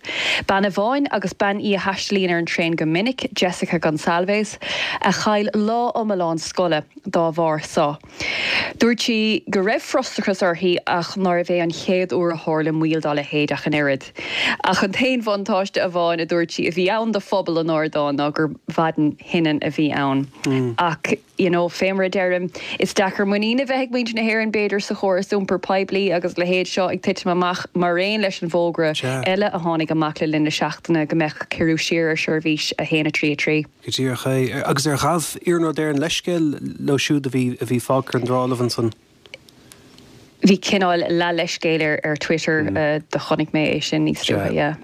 Bean amháin agus bean í a thaistilíonn ar an traein go minic, Jessica Gonsalves, a chaill lá iomlán scoile dá bharr seo. Dúirt sí go raibh frustrachas uirthi ach nárbh é an chéad uair a tharla moill dá leithéid ach an oiread. Ach an t-aon bhuntáiste amháin a dúirt sí a bhí ann do phobal an ardáin ná gur mhaidin thinnin a bhí ann. Mm. Ach you know, fé mar a deirim is deacair muinín a bheith ag muintir na hÉireann b'fhéidir sa chóras iompar poiblí agus a leithéid seo ag titim amach mar aon leis an bhfógra eile a tháinig amach le linn na seachtaine go mbeadh ciorrú siar ar seirbhís a haon a trí a trí. Go díreach é agus ar ghabh Iarnród Éireann leithscéal leo siúd a bhí a bhí fágtha ar an trá fholamh ansan. Bhí cineál leath leithscéal ar ar Twitter mm. uh, do chonaic mé é sin níos luaithe. Yeah.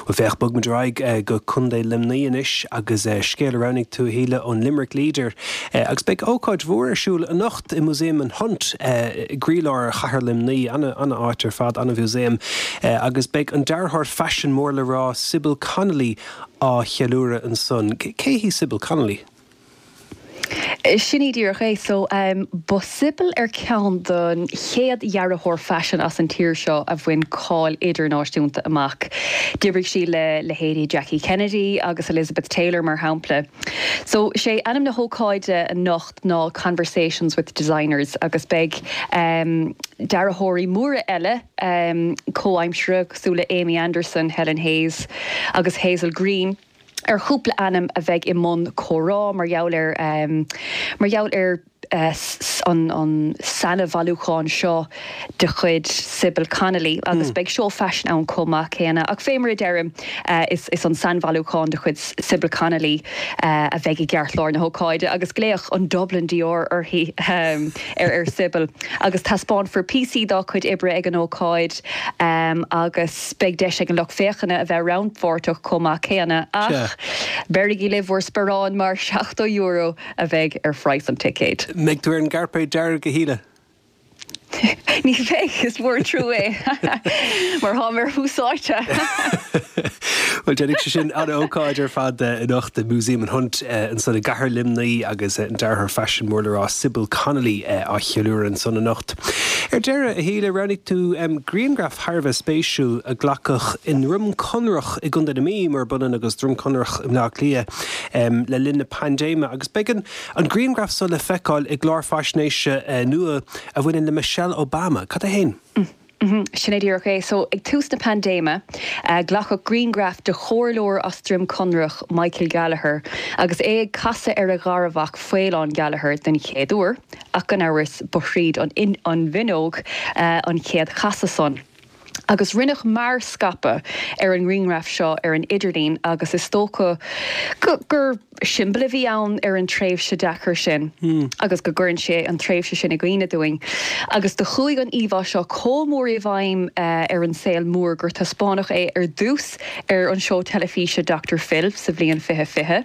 Bhuel féach, bogfaimid ar aghaidh go Contae Luimnigh anois agus scéal a roghnaigh tú a Shíle ón Limerick Leader. Agus beidh ócáid mhór ar siúl anocht i Músaem an Hunt i gcroílár chathair Luimnigh, an-áit ar fad, an-mhúsaem, agus beidh an dearthóir faisin mór le rá Sybil Connolly á cheiliúradh ansan. Cé hí Sybil Connolly? Sin í díreach é. So ba Sybil ar ceann den chéad dhearthóir faisin as an tír seo a bhain cáil idirnáisiúnta amach. D'oibrigh sí le leithéidí Jackie Kennedy agus Elizabeth Taylor mar shampla. So sé ainm na hócáide anocht ná Conversations with Designers agus beidh um, dearthóirí móra eile um, comhaimseartha cosúil le Amy Anderson, Helen Hayes agus Hazel Green ar chúpla ainm a bheidh i mbun comhrá mar gheall ar um, mar gheall ar uh, an, an sainbhailiúchán seo de chuid Sybil Connolly agus mm. beidh seó faisin ann chomh maith céanna ach fé mar a deirim uh, is, is an sainbhailiúchán de chuid Sybil Connolly uh, a bheidh i gceartlár na hócáide agus glaodh an Dublin Dior uirthi um, ar ar Sybil agus taispeánfar píosaí dá cuid oibre ag an ócáid um, agus beidh deis ag an lucht féachana a bheith rannpháirteach chomh maith céanna ach beirigí libh bhur sparán mar seachtó euro a bheidh ar phraghas an ticéid. Mbeidh tú ar an gcairpéad dearg a Shíle? Ní bheidh is mór an trua é mar táim ar Thús Áite. Well déanfaidh sé sin an-ócáid ar fad anocht i Músaem an Hunt ansan i gcathair Luimnigh agus an dearthóir faisin mór le rá Sybil Connolly á cheiliúradh ansan anocht. Ar deireadh a Shíle roghnaigh tú grianghraf thar a bheith spéisiúil a glacadh i nDroim Conrach i gContae na Mí mar b'ionann agus Droim Conrach i mBleá Cliath le linn na paindéime agus beidh an grianghraf so le feiceáil i gclár faisnéise nua a bhaineann le Michelle Obama. Cad é féin? Sin é díreach é. So ag tús na paindéime, glacadh grianghraf de chomhairleoir as Droim Conrach, Michael Gallagher, agus é ag casadh ar a gharmhac Faolán Gallagher den chéad uair, ach gan amhras ba thríd an bhfuinneog an chéad chasadh san. Agus rinneadh mearscaipeadh ar an ngrianghraf seo ar an idirlíon agus is dócha gur siombail a bhí ann ar an tréimhse deacair sin agus go gcuireann sé an tréimhse sin i gcuimhne dúinn. Agus do chuaigh an íomhá seo chomh mór i bhfeidhm ar an saol mór gur taispeánadh é ar dtús ar an seó teilifíse Doctor Phil sa bhliain fiche fiche.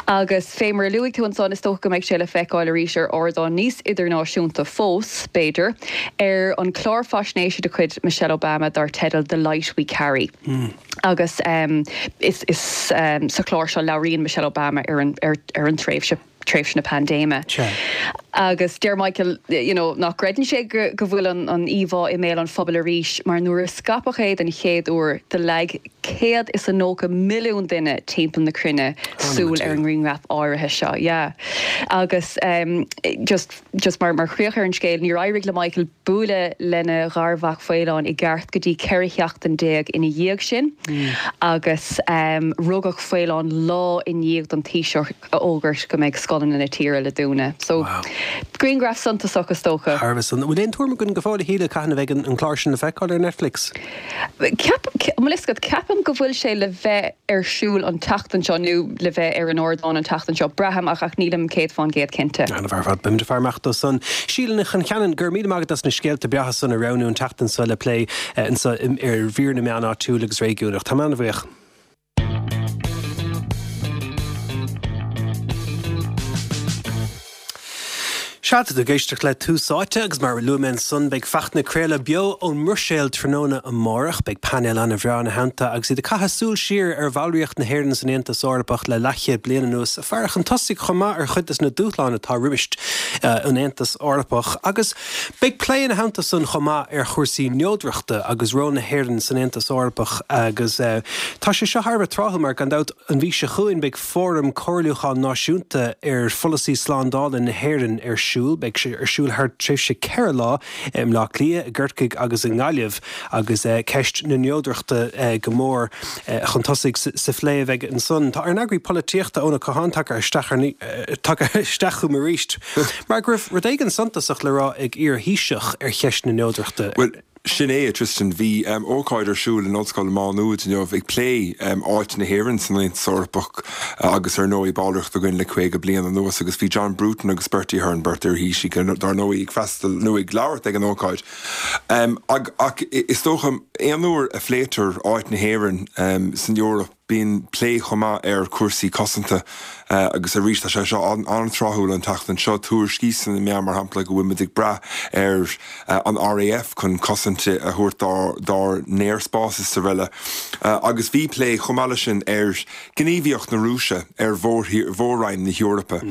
Agus fé mar a luaigh tú ansan is dócha go mbeidh sé le feiceáil arís ar ardán níos idirnáisiúnta fós, b'fhéidir, ar an chlár faisnéise de chuid Michelle Obama dar teideal The Light We Carry. Agus is is sa chlár seo labhraíonn Michelle Obama ar an ar ar an tréimhse tréimhse na paindéime. Agus deir Michael you know, nach gcreideann sé go go bhfuil an an íomhá i mbéal an phobail arís mar nuair a scaipeadh é den chéad uair do leag céad is a nócha milliún duine timpeall na cruinne súil ar an ngrianghraf áirithe seo. Yeah. Agus um, just just mar mar chríoch ar an scéal, níor éirigh le Michael bualadh lena gharmhac Faolán i gceart go dtí ceithre sheachtain déag ina dhiaidh sin agus um, rugadh Faolán lá i ndiaidh don Taoiseach a fhógairt go mbeidh scoileanna na tíre le dúnadh. So wow. Grianghraf suntasach is dócha. Thar a bheith san. Bhfuil aon tuairim againn go fóill a Shíle cathain a bheidh an clár sin le feiceáil ar Netflix? Ceap, mo leithscéal, ceapaim go bhfuil sé le bheith ar siúl an tseachtain seo nó le bheith ar an ardán an tseachtain seo. Braithim ach ach nílim céad fán gcéad cinnte. An-mhaith ar fad, beimid ag faire amach dó san. Síle Ní Choncheanainn, go raibh míle maith agat as na scéalta breátha san a roghnú an tseachtain seo le plé anseo ar mhír na meán áitiúil agus réigiúnach. Tá mé an-bhuíoch. Sea, tá tú ag éisteacht le Tús Áite agus mar a luaigh mé ansan beidh Fachtna ag craoladh beo ón mBruiséil tráthnóna amárach. Beidh painéal an-bhreá ina theannta agus iad ag caitheamh súil siar ar bhallraíocht na hÉireann san Aontas Eorpach le leathchéad bliain anuas, ag faire chun tosaigh chomh maith ar chuid de na dúshláin atá roimis an Aontas Eorpach. Agus beidh plé ina theannta san chomh maith ar chúrsaí neodrachta agus ról na hÉireann san Aontas Eorpach agus tá sé seo thar a bheith tráthúil mar gan dabht an mhí seo chugainn beidh Fóram Comhairliúcháin Náisiúnta ar Pholasaí Slándála na hÉireann ar siúl. Beidh sé ar siúl thar tréimhse ceithre lá i mBleá Cliath, i gCorcaigh agus i nGaillimh agus ceist na neodrachta go mór chun tosaigh sa phlé a bheidh ansan. Tá ár n-eagraí polaitíochta Eoin Ó Catháin tagtha isteach tagtha isteach chugam arís mar go raibh rud éigin suntasach le rá ag iar-Thaoiseach ar cheist na neodrachta. Bhuel, Sin é, a Tristan, bhí ócáid ar siúl in Ollscoil Mhá Nuad inniu ag plé áit na hÉireann san Aontas Eorpach agus ar ndóigh ballraíocht againn le caoga bliain anuas agus bhí John Bruton agus Bertie Ahern, beirt iar-Thaoisigh, dar ndóigh ag freastal nó ag labhairt ag an ócáid. Ach is dócha aon uair a phléitear áit na hÉireann san Eoraip, Bíonn plé chomh maith ar chúrsaí cosanta agus arís tá sé seo an-tráthúil an tseachtain seo. Tuairiscí sna meáin mar shampla go bhfuil muid ag brath ar an RAF chun cosaint a thabhairt dár n-aerspás is araile. Agus bhí plé chomh maith leis sin ar ghníomhaíocht na Rúise ar mhór-roinn na hEorpa.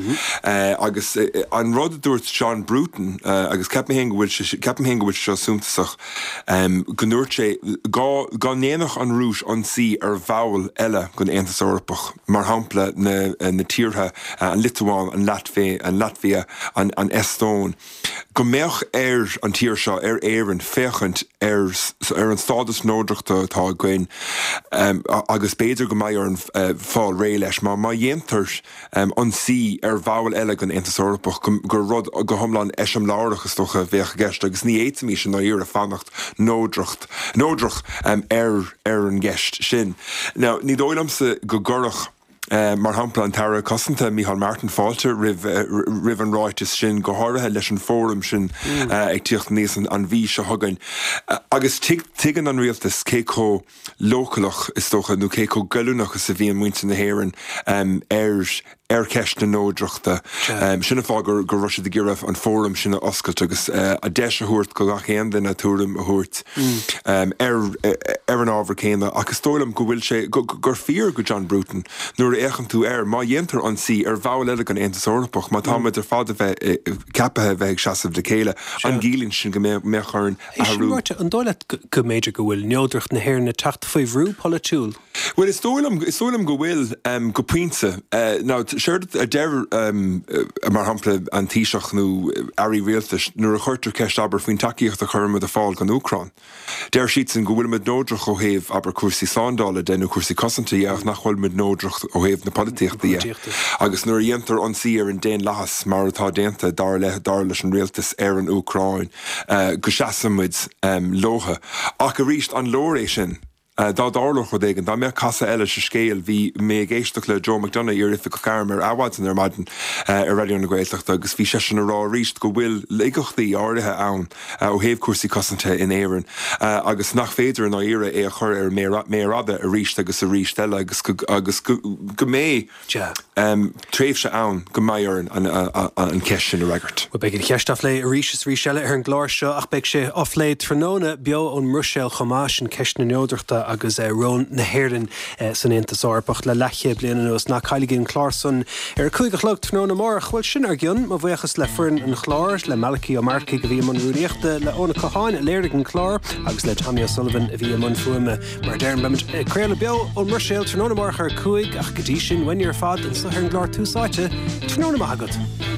Agus an rud a dúirt John Bruton, agus ceapaim féin go bhfuil sé, ceapaim féin go bhfuil sé seo suntasach, go ndúirt sé dá ndéanfadh an Rúis ionsaí ar bhall eile den Aontas Eorpach, mar shampla na tíortha, an Liotuáin, an Laitvia, an Eastóin, go mbeadh ar an tír seo, ar Éirinn, féachaint ar ar an stádas neodrachta atá againn agus b'fhéidir go mbeidh orainn fáil réidh leis. Má má dhéantar ionsaí ar bhall eile den Aontas Eorpach, gur rud go hiomlán eiseamláireach is dócha a bheadh i gceist agus ní fhéadfaimis i ndáiríre fanacht neodracht neodrach ar ar an gceist sin. Now, ní dóigh liomsa go gcuirfeadh, mar shampla, an tAire Cosanta, Micheál Martin, fáilte roimh roimh an ráiteas sin, go háirithe leis an bhfóram sin ag tíocht aníos an mhí seo chugainn. Agus tuigeann an rialtas cé chomh leochaileach, is dócha, nó cé chomh goilliúnach is a bhíonn muintir na hÉireann ar ar cheist na neodrachta. Sin an fáth go raibh siad ag iarraidh an fóram sin a oscailt agus a deis a thabhairt go gach aon duine tuairim a thabhairt ar ar an ábhar céanna. Ach is dóigh liom go bhfuil sé, gur fíor go John Bruton nuair a fhéachann tú air, má dhéantar ionsaí ar bhall eile den Aontas Eorpach, má tá muid ar fad a bheith ceaptha a bheith ag seasamh le chéile, an gciallaíonn sin go mbeadh orainn É sin athrú? ráite, an dóigh leat go mb'fhéidir go bhfuil neodracht na hÉireann ag teacht faoi bhrú polaitiúil? Bhuel, is dóigh liom, is dóigh liom go bhfuil, go pointe. Now, séard a deir, mar shampla, an Taoiseach nó airí rialtais nuair a chuirtear ceist, abair, faoin tacaíocht a chuirimid ar fáil don Úcráin, deir siadsan go bhfuilimid neodrach ó thaobh, abair, cúrsaí slándála de nó cúrsaí cosanta dhe ach nach bhfuilimid neodrach ó thaobh na polaitíochta dhe. Agus nuair a dhéantar ionsaí ar an daonlathas, mar atá déanta, dar le, dar leis an rialtas, ar an Úcráin, go seasaimid leotha. Ach arís, an leor é sin? Dá dtarlódh rud éigin, dá mbeadh casadh eile sa scéal, bhí mé ag éisteacht le Joe McDonagh, iar-oifigeach airm, ar Adhmhaidin ar maidin ar Raidió na Gaeltachta agus bhí seisean ag rá arís go bhfuil laigeachtaí áirithe ann ó thaobh cúrsaí cosanta in Éirinn agus nach féidir i ndáiríre é a chur ar an méar fhada arís agus arís eile agus agus go mbeidh tréimhse ann go mbeidh orainn an cheist sin a fhreagairt. Bhuel, beidh an cheist á phlé arís is arís eile ar an gclár seo ach beidh sé á phlé tráthnóna beo ón mBruiséil chomh maith, sin ceist na neodrachta agus ról na hÉireann san Aontas Eorpach le leathchéad bliain anuas. Ná cailligí an clár san ar a cúig a chlog tráthnóna amárach. Bhuel, sin ár gcionn. Mo bhuíochas le foireann an chláir, le Malachy Ó Marcaigh a bhí i mbun rúnaíochta, le Eoin Ó Catháin a léirigh an clár agus le Tommy O'Sullivan a bhí i mbun fuaime. Mar a deirim, beimid ag craoladh beo ón mBruiséil tráthnóna amárach ar a cúig ach go dtí sin, uainne ar fad anseo ar an gclár Tús Áite, tráthnóna maith agat.